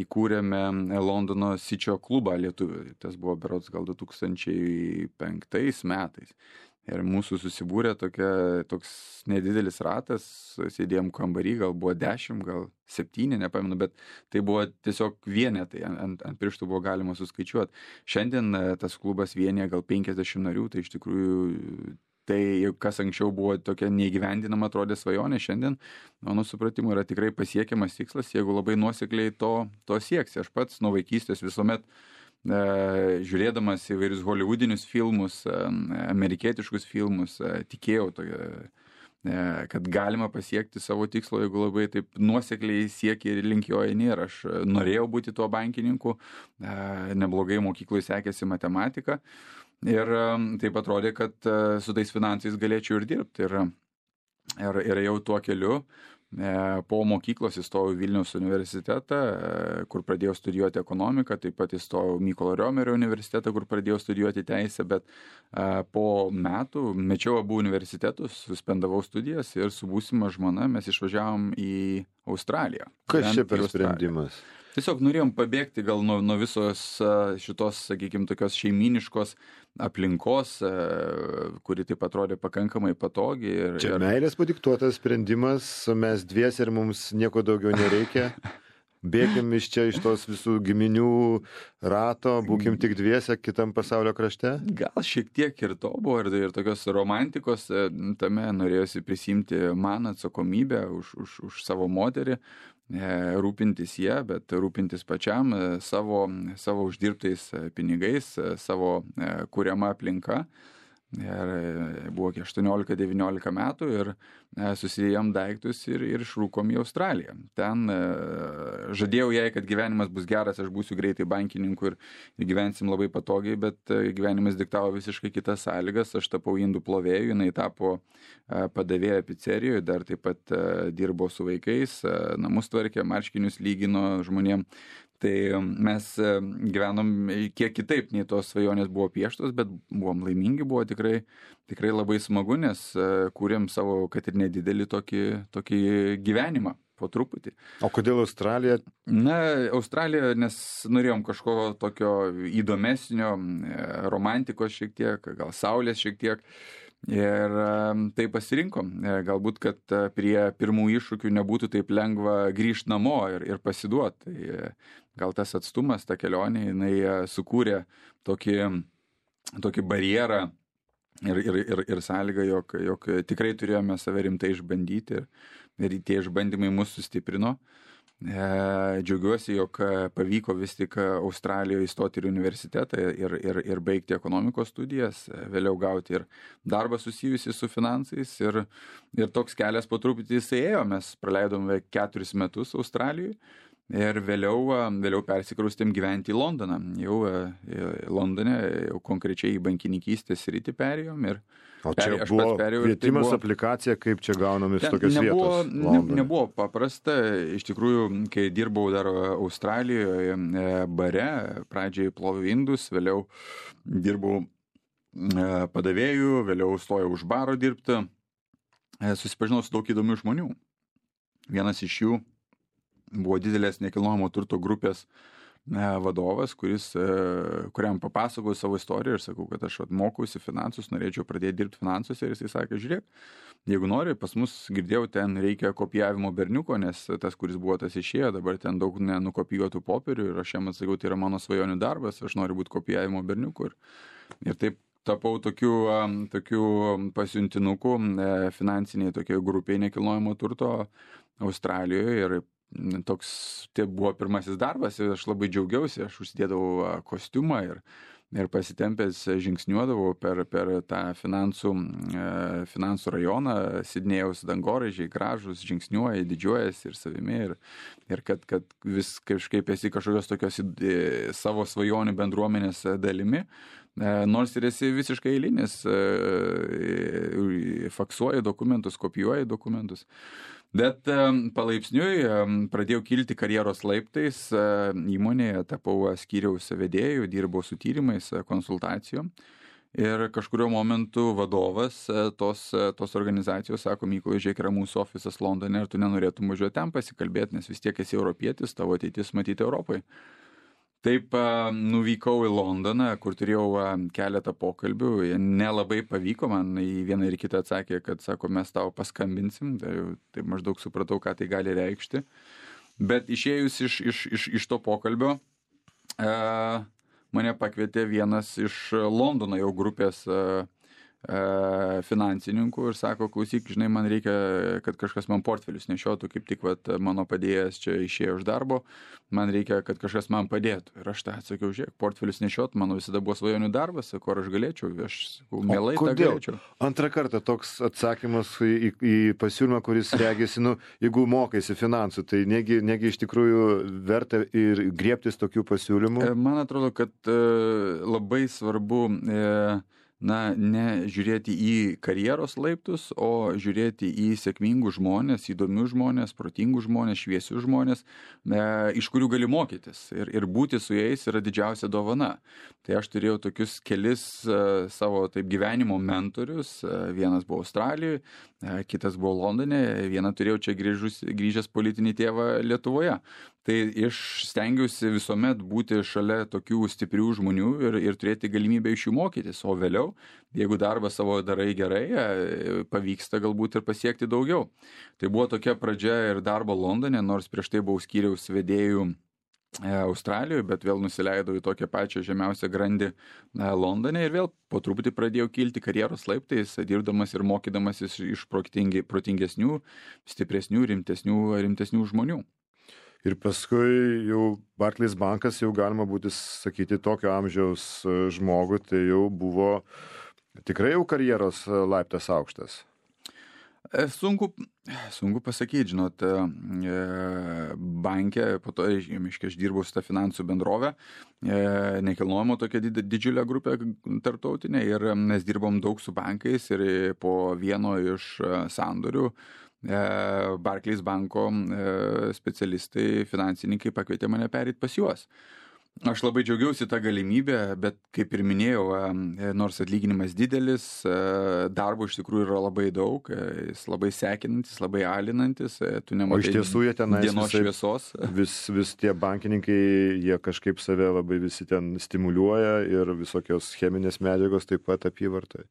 įkūrėme Londono Sičio klubą lietuvių. Tas buvo berods gal 2005 metais. Ir mūsų susibūrė toks nedidelis ratas, sėdėjom kambarį, gal buvo 10, gal 7, nepamenu, bet tai buvo tiesiog vienetai, ant pirštų buvo galima suskaičiuoti. Šiandien tas klubas vienyje gal 50 narių, tai iš tikrųjų tai, kas anksčiau buvo tokia neįgyvendinama atrodė svajonė, šiandien, mano supratimu, yra tikrai pasiekiamas tikslas, jeigu labai nuosekliai to sieksi. Aš pats nuo vaikystės visuomet žiūrėdamas įvairius hollywoodinius filmus, amerikietiškus filmus, tikėjau kad galima pasiekti savo tikslo, jeigu labai taip nuosekliai siekia ir link jo eini. Ir aš norėjau būti tuo bankininku, neblogai mokykloje sekėsi matematika ir taip atrodė, kad su tais finansais galėčiau ir dirbti. Ir jau tuo keliu po mokyklos įstojau Vilniaus universitetą, kur pradėjau studijuoti ekonomiką, taip pat įstojau Mykolo Riomerio universitetą, kur pradėjau studijuoti teisę, bet po metų mečiau abu universitetus, suspendavau studijas ir su būsima žmona mes išvažiavom į Australiją. Kas čia per sprendimas? Tiesiog norėjom pabėgti gal nuo visos šitos, sakykime, tokios šeiminiškos aplinkos, kuri taip atrodė pakankamai patogi. Čia meilės padiktuotas sprendimas, mes dviesi ir mums nieko daugiau nereikia. Bėkim iš čia, iš tos visų giminių rato, būkim tik dviese kitam pasaulio krašte? Gal šiek tiek ir to buvo, ir tokios romantikos tame norėjosi prisimti man atsakomybę už savo moterį, rūpintis ją, bet rūpintis pačiam savo uždirbtais pinigais, savo kuriama aplinka. Ir buvo 18-19 metų ir susidėjom daiktus ir išrūkom į Australiją. Ten žadėjau jai, kad gyvenimas bus geras, aš būsiu greitai bankininku ir gyvensim labai patogiai, bet gyvenimas diktavo visiškai kitas sąlygas. Aš tapau indų plovėju, jinai tapo padavėja pizzerijoje, dar taip pat dirbo su vaikais, namus tvarkė, marškinius lygino žmonėm. Tai mes gyvenom kiek kitaip, nei tos svajonės buvo pieštos, bet buvom laimingi, buvo tikrai labai smagu, nes kūrėm savo, kad ir nedidelį tokį gyvenimą po truputį. O kodėl Australija? Australija, nes norėjom kažko tokio įdomesnio, romantikos šiek tiek, gal saulės šiek tiek. Ir tai pasirinkom. Galbūt, kad prie pirmų iššūkių nebūtų taip lengva grįžti namo ir pasiduoti. Tai gal tas atstumas, ta kelionė, jinai sukūrė tokį barjerą ir sąlygą, jog tikrai turėjome save rimtai išbandyti ir tie išbandymai mus sustiprino. Džiaugiuosi, jog pavyko vis tik Australijoje įstoti į universitetą ir baigti ekonomikos studijas, vėliau gauti ir darbą susijusi su finansais ir toks kelias po truputį jisai ėjo. Mes praleidom 4 metus Australijoje ir vėliau persikraustėm gyventi į Londoną. Jau Londone, jau konkrečiai į bankininkystės sritį perėjom ir o čia buvo kvietimas, aplikacija, kaip čia gaunamis tokios vietos? Nebuvo paprasta. Iš tikrųjų, kai dirbau dar Australijoje bare, pradžiai ploviau indus, vėliau dirbau padavėjų, vėliau stojau už baro dirbti. Susipažinau su daug įdomių žmonių. Vienas iš jų buvo didelės nekilnojamo turto grupės vadovas, kuriam papasakojau savo istoriją ir sakau, kad aš mokausi finansus, norėčiau pradėti dirbti finansuose ir jisai sakė, žiūrėk, jeigu nori, pas mus girdėjau, ten reikia kopijavimo berniuko, nes tas, kuris buvo, tas išėjo, dabar ten daug nenukopijuotų popierių ir aš jam atsakiau, tai yra mano svajonių darbas, aš noriu būti kopijavimo berniuku ir taip tapau tokiu pasiuntinuku finansiniai tokie grupiai nekilnojamo turto Australijoje ir tai buvo pirmasis darbas ir aš labai džiaugiausi, aš užsidėdavau kostiumą ir pasitempęs žingsniuodavau per tą finansų rajoną, Sidnėjaus dangoraižiai gražus, žingsniuoja, didžiuojasi ir savimi ir kad vis kažkaip esi kažkokios tokios savo svajonių bendruomenės dalimi, nors ir esi visiškai eilinis, faksuoji dokumentus, kopijuoji dokumentus. Bet palaipsniui pradėjau kilti karjeros laiptais įmonėje, tapau skyriaus vedėju, dirbau su tyrimais, konsultacijom ir kažkurio momentu vadovas tos organizacijos sako, Mykolai, žiūrėk, yra mūsų ofisas Londone ir tu nenorėtum važiuoti ten pasikalbėti, nes vis tiek esi europietis, tavo ateitis matyti Europai. Taip nuvykau į Londoną, kur turėjau keletą pokalbių, nelabai pavyko, man į vieną ir kitą atsakė, kad sako, mes tau paskambinsim, tai maždaug supratau, ką tai gali reikšti. Bet išėjus iš to pokalbio, mane pakvietė vienas iš Londono jau grupės finansininkų ir sako, klausyk, žinai, man reikia, kad kažkas man portfelius nešiotų, kaip tik vat, mano padėjęs čia išėjo iš darbo, man reikia, kad kažkas man padėtų. Ir aš tą atsakiau, žiūrėk, portfelius nešiot, mano visada buvo svajonių darbas, sakau, ar aš galėčiau, aš mielai tą galėčiau. Antrą kartą toks atsakymas į pasiūlymą, kuris regėsi, jeigu mokaisi finansų, tai negi iš tikrųjų verta ir griebtis tokių pasiūlymų? Man atrodo, kad labai svarbu ne žiūrėti į karjeros laiptus, o žiūrėti į sėkmingus žmonės, įdomius žmonės, protingus žmonės, šviesius žmonės, iš kurių gali mokytis. Ir būti su jais yra didžiausia dovana. Tai aš turėjau tokius kelis savo taip gyvenimo mentorius. Vienas buvo Australijoje, kitas buvo Londone, vieną turėjau čia grįžęs politinį tėvą Lietuvoje. Tai stengiausi visuomet būti šalia tokių stiprių žmonių ir turėti galimybę iš jų mokytis, o vėliau, jeigu darbą savo darai gerai, pavyksta galbūt ir pasiekti daugiau. Tai buvo tokia pradžia ir darbo Londone, nors prieš tai buvau skyriaus vedėjų Australijoje, bet vėl nusileidau į tokią pačią žemiausią grandį Londone ir vėl po truputį pradėjau kilti karjeros laiptais, dirbdamas ir mokydamasis iš protingesnių, stipresnių, rimtesnių žmonių. Ir paskui jau Barclays bankas jau galima būti sakyti tokio amžiaus žmogui, tai jau buvo tikrai jau karjeros laiptas aukštas. Sunku pasakyti, žinot, banke, po to aš dirbau su tą finansų bendrovę, nekilnojamo tokia didžiulė grupė tarptautinė ir mes dirbom daug su bankais ir po vieno iš sandorių Barclays banko specialistai, finansininkai pakvietė mane perėti pas juos. Aš labai džiaugiausi tą galimybę, bet kaip ir minėjau, nors atlyginimas didelis, darbo iš tikrųjų yra labai daug, jis labai sekinantis, labai alinantis, tu nematai iš tiesų jie tenais dienos šviesos. Vis tie bankininkai, jie kažkaip save labai visi ten stimuliuoja ir visokios cheminės medžiagos taip pat apyvartai.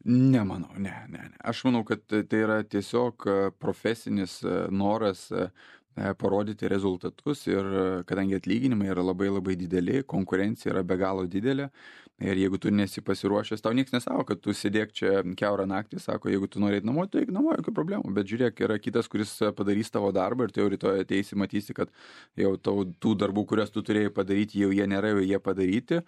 Nemanau, ne. Aš manau, kad tai yra tiesiog profesinis noras parodyti rezultatus ir kadangi atlyginimai yra labai dideli, konkurencija yra be galo didelė ir jeigu tu nesi pasiruošęs, tau nieks nesako, kad tu sėdėk čia kiaurą naktį, sako, jeigu tu nori eiti namo, tai eik namo, jokių problemų, bet žiūrėk, yra kitas, kuris padarys tavo darbą ir tu jau rytoj ateisi, matysi, kad jau tų darbų, kurias tu turėjai padaryti, jau jie nėra, jau jie padaryti,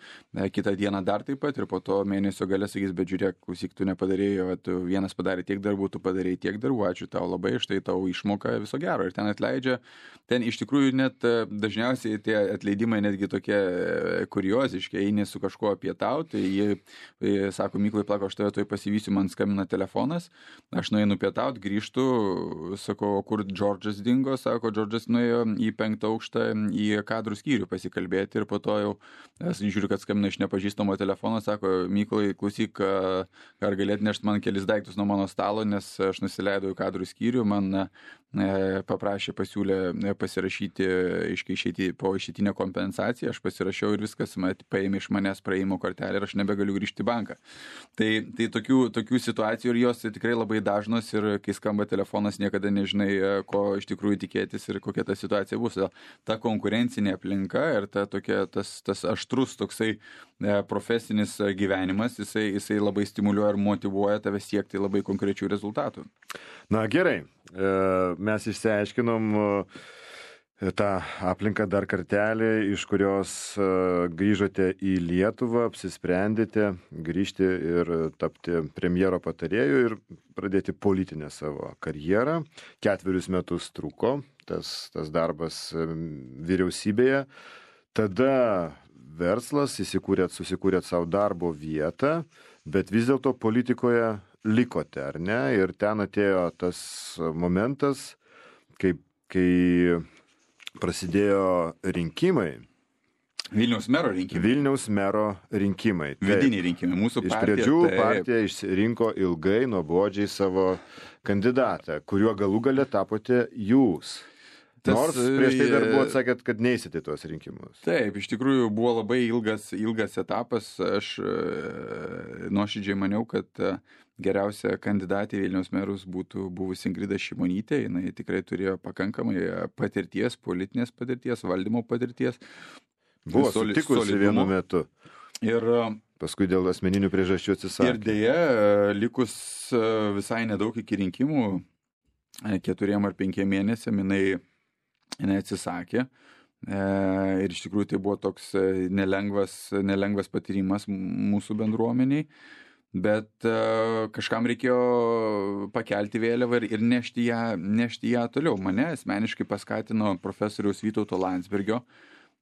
kitą dieną dar taip pat ir po to mėnesio gale sakys, bet žiūrėk, klausyk, tu nepadarėjai, tu vienas padarė tiek darbų, tu padarėjai tiek darbų, ačiū tau labai, štai tau išmoka, viso gero ir ten atleidžia. Ten iš tikrųjų net dažniausiai tie atleidimai netgi tokie kurioziški, eini su kažkuo pietauti, jie sako, Mykolai, plako, aš tave toj pasivysiu, man skambina telefonas, aš nueinu pietauti, grįžtu, sako, kur Džordžas dingo, sako, Džordžas nuėjo į 5. aukštą į kadrų skyrių pasikalbėti ir po to jau žiūriu, kad skambina iš nepažįstamo telefono, sako, Mykolai, klausyk, ar galėt nešti man kelis daiktus nuo mano stalo, nes aš nusileidau į kadrų skyrių, man paprašė, pasiūlė pasirašyti, išeiti po išeitinę kompensaciją, aš pasirašiau ir viskas, paėmė iš manęs praėjimo kortelę ir aš nebegaliu grįžti į banką. Tai tokių situacijų ir jos tikrai labai dažnos ir kai skamba telefonas, niekada nežinai, ko iš tikrųjų tikėtis ir kokia ta situacija bus. Ta konkurencinė aplinka ir tas aštrus toksai profesinis gyvenimas, jisai labai stimuliuoja ir motyvuoja tave siekti labai konkrečių rezultatų. Na gerai, mes išsiaiškinom tą aplinką dar kartelį, iš kurios grįžote į Lietuvą, apsisprendėte grįžti ir tapti premjero patarėju ir pradėti politinę savo karjerą. 4 metus truko tas darbas vyriausybėje. Tada verslas, susikūrėt savo darbo vietą, bet vis dėlto politikoje likote, ar ne? Ir ten atėjo tas momentas, kai prasidėjo rinkimai. Vilniaus mero rinkimai. Vidiniai rinkimai. Mūsų partija. Iš pradžių partija išsirinko ilgai, nuobodžiai savo kandidatą, kuriuo galų gale tapote jūs. Nors prieš tai dar buvo atsakėt, kad neįsite tuos rinkimus. Taip, iš tikrųjų buvo labai ilgas etapas. Aš nuoširdžiai maniau, kad geriausia kandidatė Vilniaus merus būtų buvusi Ingrida Šimonytė. Jinai tikrai turėjo pakankamai patirties, politinės patirties, valdymo patirties. Buvo sutikusi vienu metu. Ir paskui dėl asmeninių priežasčių atsisakė. Ir dėja, likus visai nedaug iki rinkimų, 4 ar 5 mėnesiam, jinai atsisakė. Ir iš tikrųjų tai buvo toks nelengvas patyrimas mūsų bendruomeniai, bet kažkam reikėjo pakelti vėliavą ir nešti ją toliau. Mane asmeniškai paskatino profesoriaus Vytauto Landsbergio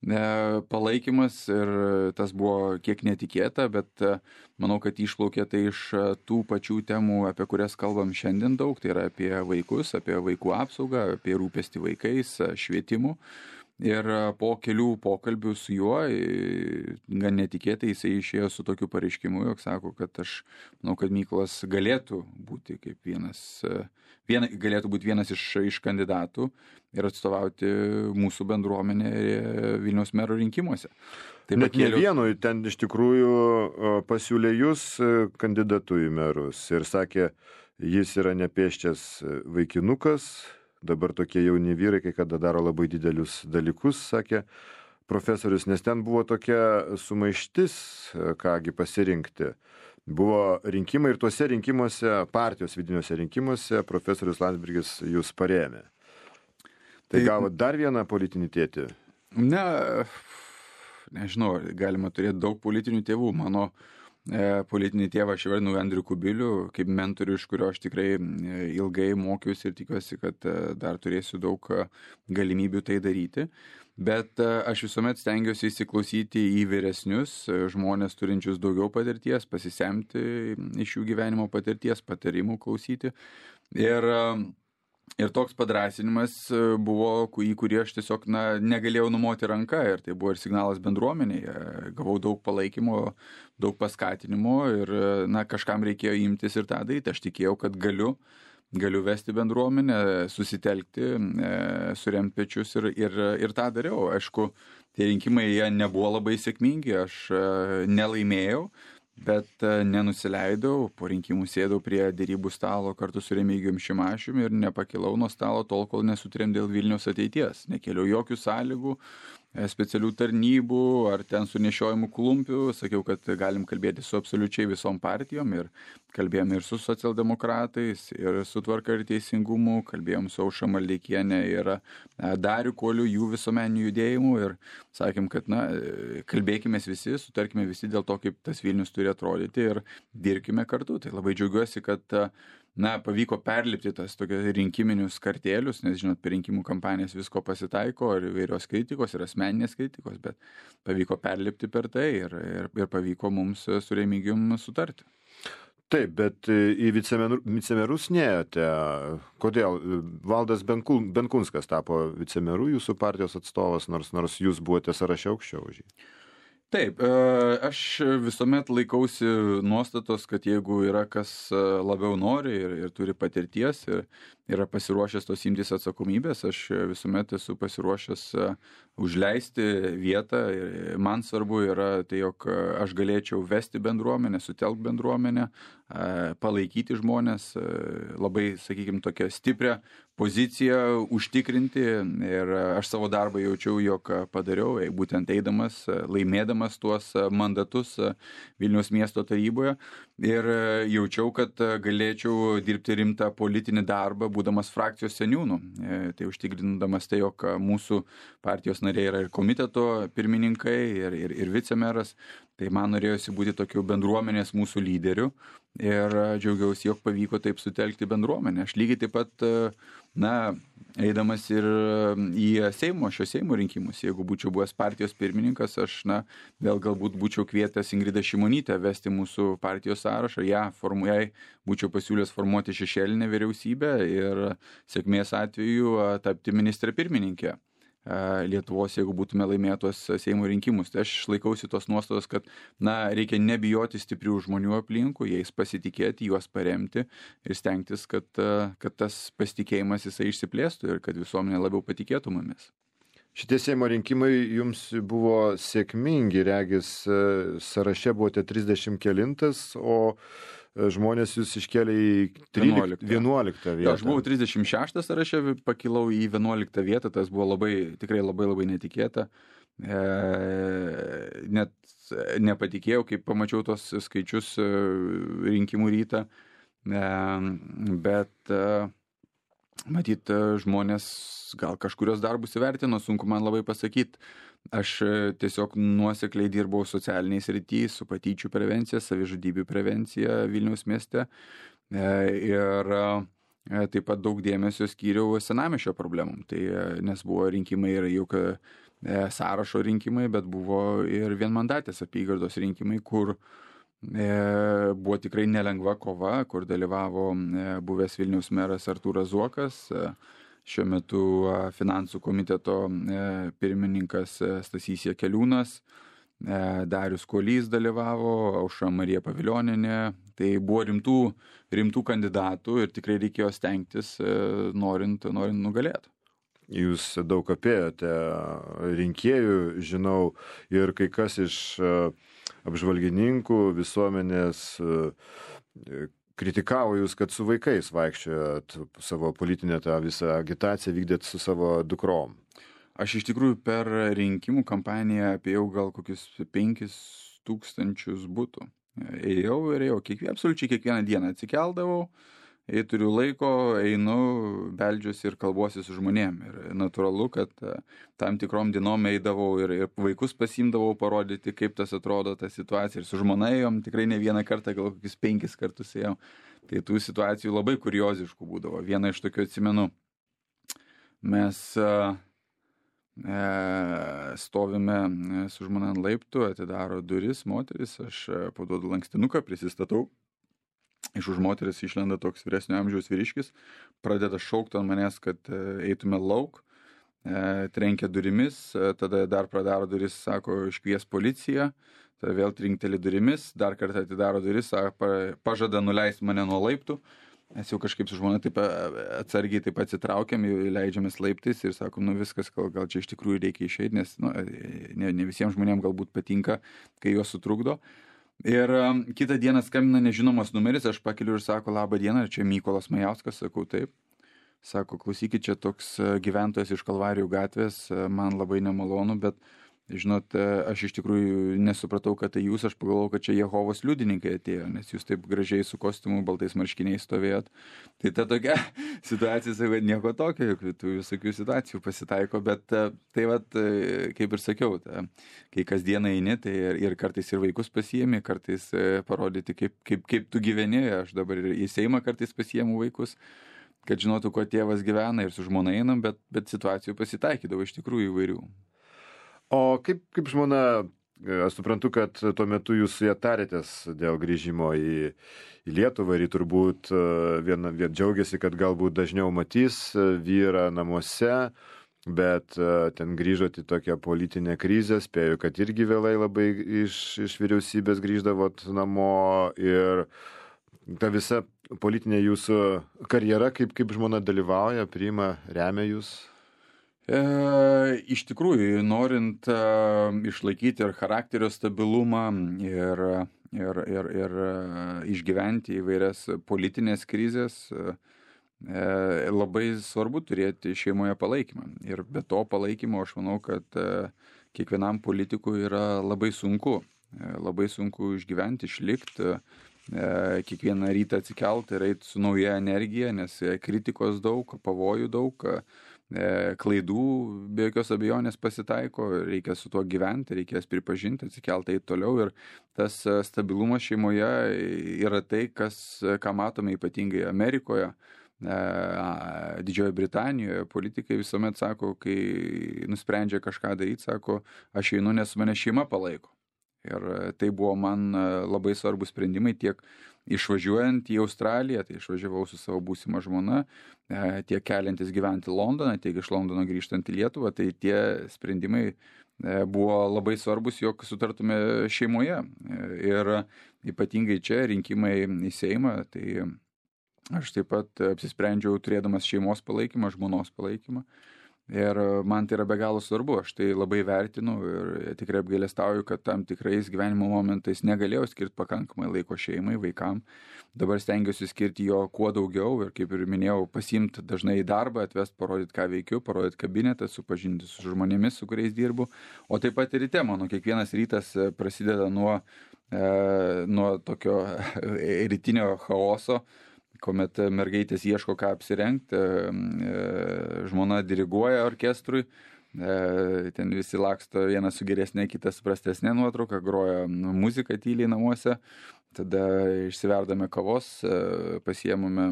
palaikymas ir tas buvo kiek netikėta, bet manau, kad išplaukė tai iš tų pačių temų, apie kurias kalbam šiandien daug, tai yra apie vaikus, apie vaikų apsaugą, apie rūpestį vaikais, švietimu. Ir po kelių pokalbių su juo, gan netikėtai, jisai išėjo su tokiu pareiškimu, jog sako, kad aš manau, kad Mykolas galėtų būti kaip vienas iš kandidatų ir atstovauti mūsų bendruomenę Vilniaus mero rinkimuose. Net ne vienu, ten iš tikrųjų pasiūlė jūs kandidatu į merus ir sakė, jis yra nepėsčias vaikinukas, dabar tokie jauni vyrai, kai kada daro labai didelius dalykus, sakė profesorius, nes ten buvo tokia sumaištis, kągi pasirinkti. Buvo rinkimai ir tuose rinkimuose, partijos vidiniuose rinkimuose, profesorius Landsbergis jūs parėmė. Tai gavo dar vieną politinį tėtį? Nežinau, galima turėti daug politinių tėvų. Mano politinį tėvą aš vadinu Andrių Kubilių, kaip mentorių, iš kurio aš tikrai ilgai mokiausi ir tikiuosi, kad dar turėsiu daug galimybių tai daryti. Bet aš visuomet stengiuosi įsiklausyti į vyresnius žmonės turinčius daugiau patirties, pasisemti iš jų gyvenimo patirties, patarimų klausyti. Ir toks padrąsinimas buvo, į kurį aš tiesiog negalėjau numoti ranką, ir tai buvo ir signalas bendruomenėje. Gavau daug palaikymo, daug paskatinimo ir kažkam reikėjo imtis ir tą daryti. Aš tikėjau, kad galiu vesti bendruomenę, susitelkti, suremti pečius ir tą dariau. Aišku, tie rinkimai jie nebuvo labai sėkmingi, aš nelaimėjau, bet nenusileidau, po rinkimų sėdau prie derybų stalo kartu su Remigijum Šimašiumi ir nepakilau nuo stalo tol, kol nesutarėm dėl Vilniaus ateities. Nekėliau jokių sąlygų, specialių tarnybų ar ten su nešiojimų klumpių. Sakiau, kad galim kalbėti su absoliučiai visom partijom ir kalbėjom ir su socialdemokratais, ir su Tvarka ir Teisingumu, kalbėjom su Aušra Maldeikienė ir Dariu Kuoliu, jų visuomeninių judėjimų ir sakėm, kad kalbėkime visi, sutarkime visi dėl to, kaip tas Vilnius turi atrodyti ir dirbkime kartu. Tai labai džiaugiuosi, kad pavyko perlipti tas tokius rinkiminius kartėlius, nes, žinot, per rinkimų kampanijas visko pasitaiko, ir įvairios kritikos, ir asmeninės kritikos, bet pavyko perlipti per tai ir pavyko mums su Remigijum sutarti. Taip, bet į vicemerus neėjote. Kodėl? Valdas Benkunskas tapo vicemeru, jūsų partijos atstovas, nors jūs buvote sąraše aukščiau už jį. Taip, aš visuomet laikausi nuostatos, kad jeigu yra kas labiau nori ir turi patirties ir yra pasiruošęs tos imtis atsakomybės, aš visuomet esu pasiruošęs užleisti vietą. Man svarbu yra tai, jog aš galėčiau vesti bendruomenę, sutelkti bendruomenę, palaikyti žmonės, labai, sakykime, tokią stiprią poziciją užtikrinti, ir aš savo darbą jaučiau, jog padariau, būtent eidamas, laimėdamas tuos mandatus Vilniaus miesto taryboje, ir jaučiau, kad galėčiau dirbti rimtą politinį darbą, būdamas frakcijos seniūnu. Tai užtikrindamas tai, jog mūsų partijos nariai yra ir komiteto pirmininkai, ir vicemeras, tai man norėjosi būti tokiu bendruomenės mūsų lyderiu, ir džiaugiausi, jog pavyko taip sutelkti bendruomenę. Aš lygiai taip pat, eidamas ir į šio Seimo rinkimus, jeigu būčiau buvęs partijos pirmininkas, aš, vėl galbūt būčiau kvietęs Ingridą Šimonytę vesti mūsų partijos sąrašą, jai būčiau pasiūlęs formuoti šešėlinę vyriausybę ir sėkmės atveju tapti ministrė pirmininkė Lietuvos, jeigu būtume laimėtos Seimo rinkimus. Tai aš laikausi tos nuostatos, kad reikia nebijoti stiprių žmonių aplinkų, jais pasitikėti, juos paremti ir stengtis, kad tas pasitikėjimas jisai išsiplėstų ir kad visuomenė labiau patikėtų mumis. Šitie Seimo rinkimai jums buvo sėkmingi, regis sąraše buvote 30 kelintas, o žmonės jūs iškėlė į 11 vietą. Aš buvau 36 sąraše, pakilau į 11 vietą, tas buvo tikrai labai netikėta. Net nepatikėjau, kai pamačiau tos skaičius rinkimų rytą, bet matyt, žmonės gal kažkurios darbus įvertino, sunku man labai pasakyti. Aš tiesiog nuosekliai dirbau socialiniais srity su patyčių prevencija, savižudybių prevencija Vilniaus mieste ir taip pat daug dėmesio skyriau senamiesčio problemom. Tai nes buvo rinkimai ir juk sąrašo rinkimai, bet buvo ir vienmandatės apygardos rinkimai, kur buvo tikrai nelengva kova, kur dalyvavo buvęs Vilniaus meras Artūras Zuokas, šiuo metu finansų komiteto pirmininkas Stasys Jakeliūnas, Darius Kuolys dalyvavo, Aušra Marija Pavilionienė. Tai buvo rimtų kandidatų ir tikrai reikėjo stengtis, norint nugalėti. Jūs daug apėjote rinkėjų, žinau, ir kai kas iš apžvalgininkų visuomenės kritikavo jūs, kad su vaikais vaikščiojot, savo politinę tą visą agitaciją vykdėt su savo dukrom. Aš iš tikrųjų per rinkimų kampaniją apėjau gal kokius 5,000 butų. Ėjau, absoliučiai kiekvieną dieną atsikeldavau, jei turiu laiko, einu, beldžiuosi ir kalbuosi su žmonėm. Ir natūralu, kad tam tikrom dienom eidavau ir vaikus pasiimdavau parodyti, kaip tas atrodo ta situacija. Ir su žmona ėjom, tikrai ne vieną kartą, gal kokius 5 kartus ėjom. Tai tų situacijų labai kurioziškų būdavo. Vieną iš tokių atsimenu, mes stovime su žmona ant laiptų, atidaro duris moteris, aš paduodu lankstinuką, prisistatau. Iš už moteris išlenda toks vyresnio amžiaus vyriškis, pradeda šaukti ant manęs, kad eitume lauk, trenkia durimis, tada dar pradaro duris, sako, iškvies policiją, tada vėl trinkteli durimis, dar kartą atidaro duris, pažada nuleisti mane nuo laiptų. Mes jau kažkaip su žmona taip atsargiai taip atsitraukiam, leidžiamės laiptais ir sakom, viskas, gal čia iš tikrųjų reikia išeiti, nes ne visiems žmonėms galbūt patinka, kai juos sutrukdo. Ir kitą dieną skambina nežinomas numeris, aš pakeliu ir sako, labą dieną, čia Mykolas Majauskas, sakau taip. Sako, klausykit, čia toks gyventojas iš Kalvarijų gatvės, man labai nemalonu, bet žinot, aš iš tikrųjų nesupratau, kad tai jūs, aš pagalvojau, kad čia Jehovos liudininkai atėjo, nes jūs taip gražiai su kostiumu, baltais marškiniais stovėjot. Tai ta tokia situacija, sakau, nieko tokio, tų visokių situacijų pasitaiko, bet tai vat, kaip ir sakiau, kai kasdieną eini, tai ir kartais ir vaikus pasiėmi, kartais parodyti, kaip tu gyveni, aš dabar ir į Seimą kartais pasiėmu vaikus, kad žinotų, kuo tėvas gyvena ir su žmona einam, bet situacijų pasitaikydavo iš tikrųjų įvairių. O kaip žmona, aš suprantu, kad tuo metu jūs su ja tarėtės dėl grįžimo į Lietuvą ir turbūt vien džiaugiasi, kad galbūt dažniau matys vyrą namuose, bet ten grįžot į tokią politinę krizę, spėju, kad irgi vėlai labai iš vyriausybės grįždavot namo ir ta visa politinė jūsų karjera, kaip žmona dalyvauja, priima, remia jūs? Iš tikrųjų, norint išlaikyti ir charakterio stabilumą ir išgyventi įvairias politinės krizės, labai svarbu turėti šeimoje palaikymą. Ir be to palaikymo aš manau, kad kiekvienam politikui yra labai sunku išgyventi, išlikti, kiekvieną rytą atsikelti ir eiti su nauja energija, nes kritikos daug, pavojų daug, klaidų be jokios abejonės pasitaiko, reikia su tuo gyventi, reikės pripažinti, atsikelti eiti toliau ir tas stabilumas šeimoje yra tai, ką matome ypatingai Amerikoje, Didžiojoje Britanijoje. Politikai visuomet sako, kai nusprendžia kažką daryti, sako, aš einu, nes mane šeima palaiko. Ir tai buvo man labai svarbus sprendimai tiek išvažiuojant į Australiją, tai išvažiavau su savo būsima žmona, tiek keliantis gyventi Londoną, tiek iš Londono grįžtant į Lietuvą, tai tie sprendimai buvo labai svarbus, jog sutartume šeimoje. Ir ypatingai čia rinkimai į Seimą, tai aš taip pat apsisprendžiau turėdamas šeimos palaikymą, žmonos palaikymą. Ir man tai yra be galo svarbu, aš tai labai vertinu ir tikrai apgailestauju, kad tam tikrais gyvenimo momentais negalėjau skirti pakankamai laiko šeimai, vaikam. Dabar stengiuosi skirti jo kuo daugiau ir, kaip ir minėjau, pasiimti dažnai į darbą, atvesti, parodyti, ką veikiu, parodyti kabinetą, supažinti su žmonėmis, su kuriais dirbu. O taip pat ir ryte, mano kiekvienas rytas prasideda nuo tokio rytinio chaoso, kuomet mergaitės ieško, ką apsirengti, žmona diriguoja orkestrui, ten visi laksto, vienas su geresnė, kitas su prastesnė nuotrauka, groja muziką tyliai namuose, tada išsiverdame kavos, pasiėmame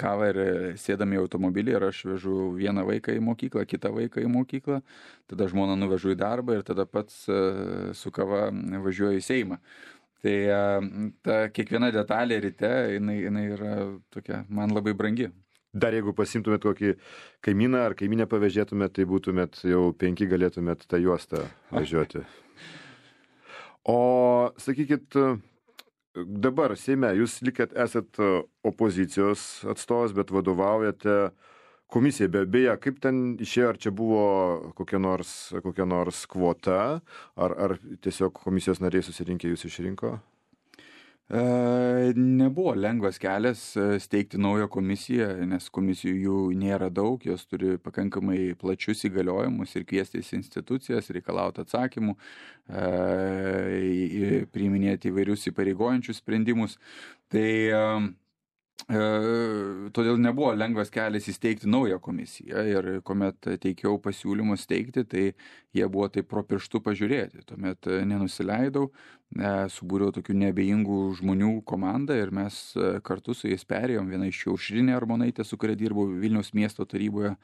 kavą ir sėdame į automobilį ir aš vežu vieną vaiką į mokyklą, kitą vaiką į mokyklą, tada žmoną nuvežu į darbą ir tada pats su kava važiuoju į Seimą. Tai ta kiekviena detalė ryte, jinai yra tokia, man labai brangi. Dar jeigu pasimtumėt kokį kaimyną ar kaiminę pavėžėtumėt, tai būtumėt jau 5 galėtumėt tą juostą važiuoti. O sakykit, dabar Seime, jūs esat opozicijos atstovas, bet vadovaujate komisijai. Beje, kaip ten išėjo, ar čia buvo kokia nors kvota, ar tiesiog komisijos nariai susirinkę jūs išrinko? Nebuvo lengvas kelias steigti naują komisiją, nes komisijų jų nėra daug, jos turi pakankamai plačius įgaliojimus ir kviestis institucijas, reikalauti atsakymų, priiminėti įvairius įpareigojančius sprendimus. Tai todėl nebuvo lengvas kelias įsteigti naują komisiją ir kuomet teikiau pasiūlymus steigti, tai jie buvo taip pro pirštų pažiūrėti. Tuomet nenusileidau, subūriau tokių neabejingų žmonių komandą ir mes kartu su jais perėjom, viena iš jų Aušrinė Armonaitė, su kuria dirbau Vilniaus miesto taryboje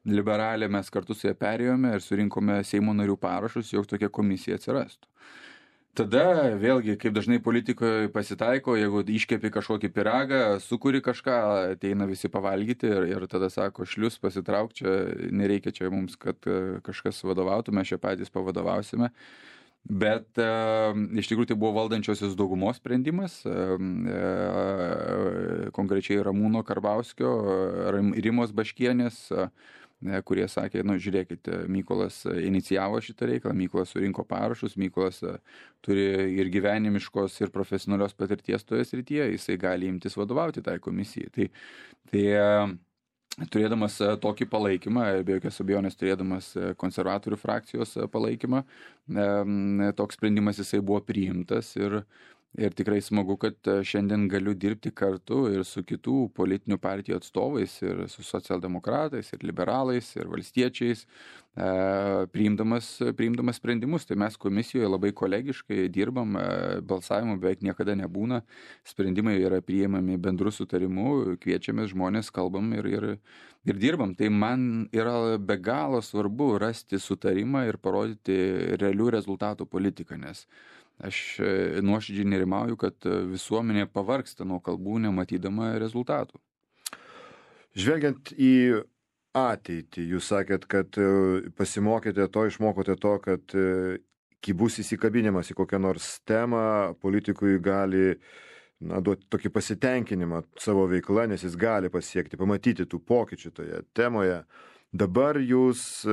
liberalė, mes kartu su ją perėjome ir surinkome Seimo narių parašus, jog tokia komisija atsirastų. Tada vėlgi, kaip dažnai politikoje pasitaiko, jeigu iškepi kažkokį pyragą, sukuri kažką, ateina visi pavalgyti ir tada sako, šlius pasitrauk, čia nereikia čia mums, kad kažkas vadovautų, mes čia patys pavadovausime. Bet iš tikrųjų tai buvo valdančiosios daugumos sprendimas, konkrečiai Ramūno Karbauskio, Rimos Baškienės, kurie sakė, žiūrėkit, Mykolas inicijavo šitą reikalą, Mykolas surinko parašus, Mykolas turi ir gyvenimiškos, ir profesionalios patirties toje srityje, jisai gali imtis vadovauti tai komisijai. Tai turėdamas tokį palaikymą, be jokios abejonės turėdamas konservatorių frakcijos palaikymą, toks sprendimas jisai buvo priimtas ir tikrai smagu, kad šiandien galiu dirbti kartu ir su kitų politinių partijų atstovais, ir su socialdemokratais, ir liberalais, ir valstiečiais, priimdamas sprendimus. Tai mes komisijoje labai kolegiškai dirbam, balsavimų beveik niekada nebūna, sprendimai yra priimami bendru sutarimu, kviečiamės žmonės, kalbam ir dirbam. Tai man yra be galo svarbu rasti sutarimą ir parodyti realių rezultatų politiką, nes aš nuoširdžiai nerimauju, kad visuomenė pavargsta nuo kalbų, nematydama rezultatų. Žvelgiant į ateitį, jūs sakėt, kad pasimokėte to, išmokote to, kad kai bus įsikabinimas į kokią nors temą, politikui gali duoti tokį pasitenkinimą savo veikla, nes jis gali pasiekti, pamatyti tų pokyčių toje temoje. Dabar jūs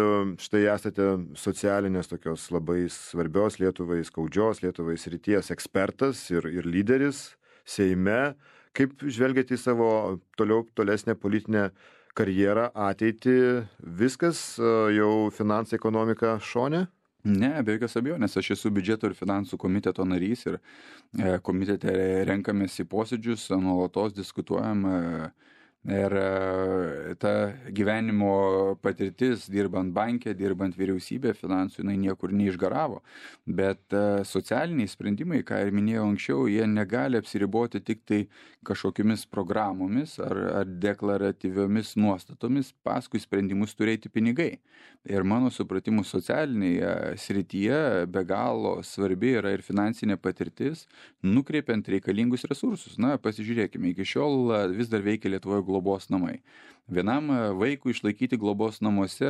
štai esate socialinės tokios labai svarbios Lietuvai, skaudžios Lietuvai srities ekspertas ir lyderis Seime. Kaip žvelgiate į savo tolesnę politinę karjerą, ateitį? Viskas, jau finansai, ekonomika šone? Ne, be jokios abejonės, aš esu biudžeto ir finansų komiteto narys ir komitete renkamės į posėdžius, nuolatos diskutuojam. Ir ta gyvenimo patirtis, dirbant banke, dirbant vyriausybė, finansų, jinai niekur neišgaravo. Bet socialiniai sprendimai, ką ir minėjau anksčiau, jie negali apsiriboti tik tai kažkokiamis programomis ar deklaratyviomis nuostatomis, paskui sprendimus turėti pinigai. Ir mano supratimu socialinėje srityje be galo svarbi yra ir finansinė patirtis, nukreipiant reikalingus resursus. Na, pasižiūrėkime, iki šiol vis dar veikia Lietuvoje globos namai. Vienam vaikui išlaikyti globos namuose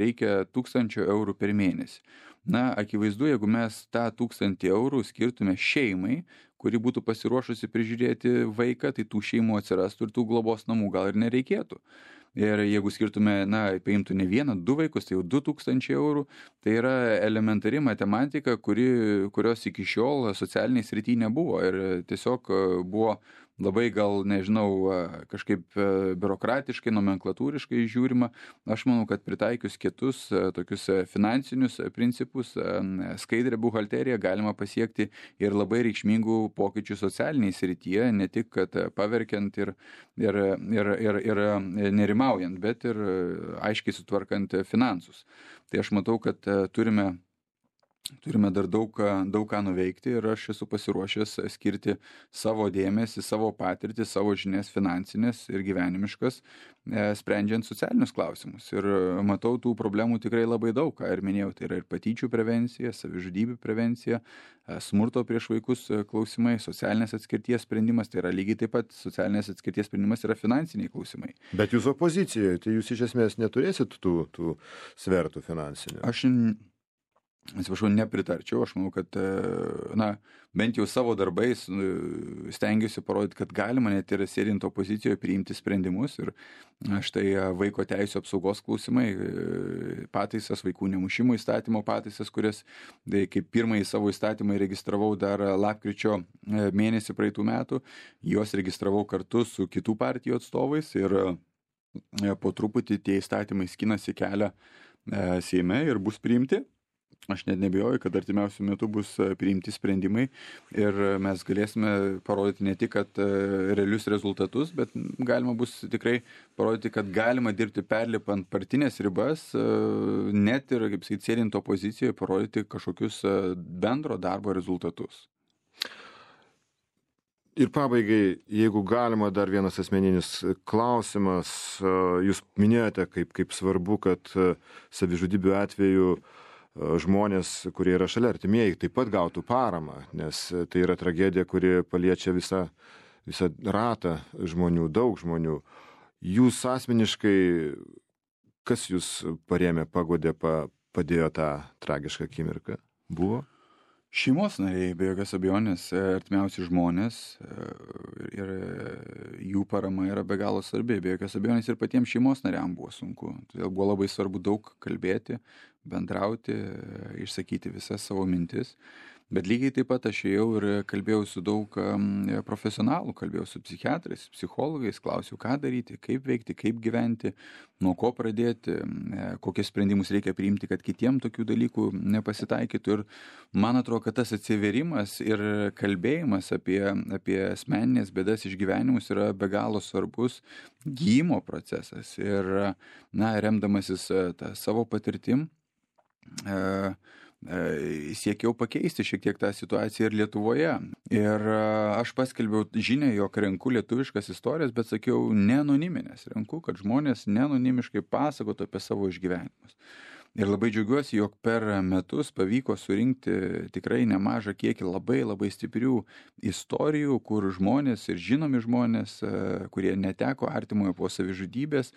reikia 1000 eurų per mėnesį. Na, akivaizdu, jeigu mes tą 1000 eurų skirtume šeimai, kuri būtų pasiruošusi prižiūrėti vaiką, tai tų šeimų atsirastų ir tų globos namų gal ir nereikėtų. Ir jeigu skirtume, paimtų ne vieną, 2 vaikus, tai jau 2000 eurų. Tai yra elementari matematika, kurios iki šiol socialiniai srity nebuvo. Ir tiesiog buvo labai gal, nežinau, kažkaip biurokratiškai, nomenklatūriškai žiūrima. Aš manau, kad pritaikius kitus tokius finansinius principus, skaidrę buhalteriją galima pasiekti ir labai reikšmingų pokyčių socialiniai srityje, ne tik, kad paverkiant ir nerimaujant, bet ir aiškiai sutvarkant finansus. Tai aš matau, kad turime dar daug ką nuveikti ir aš esu pasiruošęs skirti savo dėmesį, savo patirtį, savo žinias finansinės ir gyvenimiškas, sprendžiant socialinius klausimus. Ir matau tų problemų tikrai labai daug, ką ir minėjau, tai yra ir patyčių prevencija, savižudybių prevencija, smurto prieš vaikus klausimai, socialinės atskirties sprendimas, tai yra lygiai taip pat socialinės atskirties sprendimas yra finansiniai klausimai. Bet jūs opozicijoje, tai jūs iš esmės neturėsit tų svertų finansinių? Aš nepritarčiau, aš manau, kad bent jau savo darbais stengiuosi parodyti, kad galima net ir sėdint opozicijoje priimti sprendimus ir štai vaiko teisų apsaugos klausimai, pataisas, vaikų nemušimo įstatymo pataisas, kurias kaip pirmąjį savo įstatymą registravau dar lapkričio mėnesį praeitų metų, juos registravau kartu su kitų partijų atstovais ir po truputį tie įstatymai skinasi kelią Seime ir bus priimti. Aš net nebijoju, kad artimiausių metų bus priimti sprendimai ir mes galėsime parodyti ne tik, kad realius rezultatus, bet galima bus tikrai parodyti, kad galima dirbti perlipant partinės ribas, net ir, kaip sakyti, sėdint opozicijoje, parodyti kažkokius bendro darbo rezultatus. Ir pabaigai, jeigu galima, dar vienas asmeninis klausimas. Jūs minėjote, kaip svarbu, kad savižudybių atveju žmonės, kurie yra šalia artimieji, taip pat gautų paramą, nes tai yra tragedija, kuri paliečia visą ratą žmonių, daug žmonių. Jūs asmeniškai, kas jūs parėmė, paguodė, padėjo tą tragišką akimirką? Buvo? Šeimos nariai, be jokios abejonės, artimiausi žmonės ir jų parama yra be galo svarbi. Be jokios abejonės ir patiems šeimos nariam buvo sunku. Todėl buvo labai svarbu daug kalbėti, bendrauti, išsakyti visas savo mintis. Bet lygiai taip pat aš ėjau ir kalbėjau su daug profesionalų, kalbėjau su psichiatrais, psichologais, klausiau, ką daryti, kaip veikti, kaip gyventi, nuo ko pradėti, kokius sprendimus reikia priimti, kad kitiem tokių dalykų nepasitaikytų. Ir man atrodo, kad tas atsiverimas ir kalbėjimas apie asmeninės bėdas išgyvenimus yra be galo svarbus gydymo procesas. Ir remdamasis tą savo patirtim, siekiau pakeisti šiek tiek tą situaciją ir Lietuvoje. Ir aš paskelbiau žinią, jog renku lietuviškas istorijas, bet sakiau ne anoniminės. Renku, kad žmonės neanonimiškai pasakotų apie savo išgyvenimus. Ir labai džiaugiuosi, jog per metus pavyko surinkti tikrai nemažą kiekį labai stiprių istorijų, kur žmonės ir žinomi žmonės, kurie neteko artimojo po savižudybės,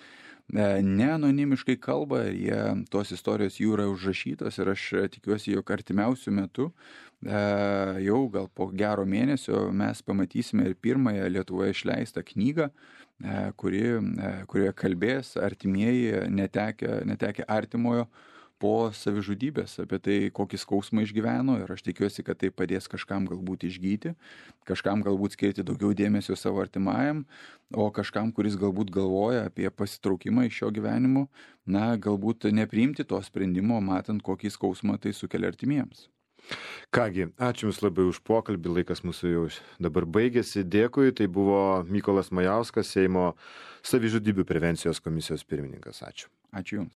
neanonimiškai kalba ir tos istorijos jų yra užrašytos ir aš tikiuosi, jog artimiausių metų, jau gal po gero mėnesio mes pamatysime ir pirmąją Lietuvoje išleistą knygą, kurioje kalbės artimieji netekę artimojo po savižudybės, apie tai, kokį skausmą išgyveno ir aš tikiuosi, kad tai padės kažkam galbūt išgyti, kažkam galbūt skirti daugiau dėmesio savo artimajam, o kažkam, kuris galbūt galvoja apie pasitraukimą iš šio gyvenimo, galbūt nepriimti to sprendimo, matant, kokį skausmą tai sukelia artimiems. Kągi, ačiū Jums labai už pokalbį, laikas mūsų jau dabar baigėsi. Dėkui, tai buvo Mykolas Majauskas, Seimo savižudybių prevencijos komisijos pirmininkas. Ačiū. Ačiū Jums.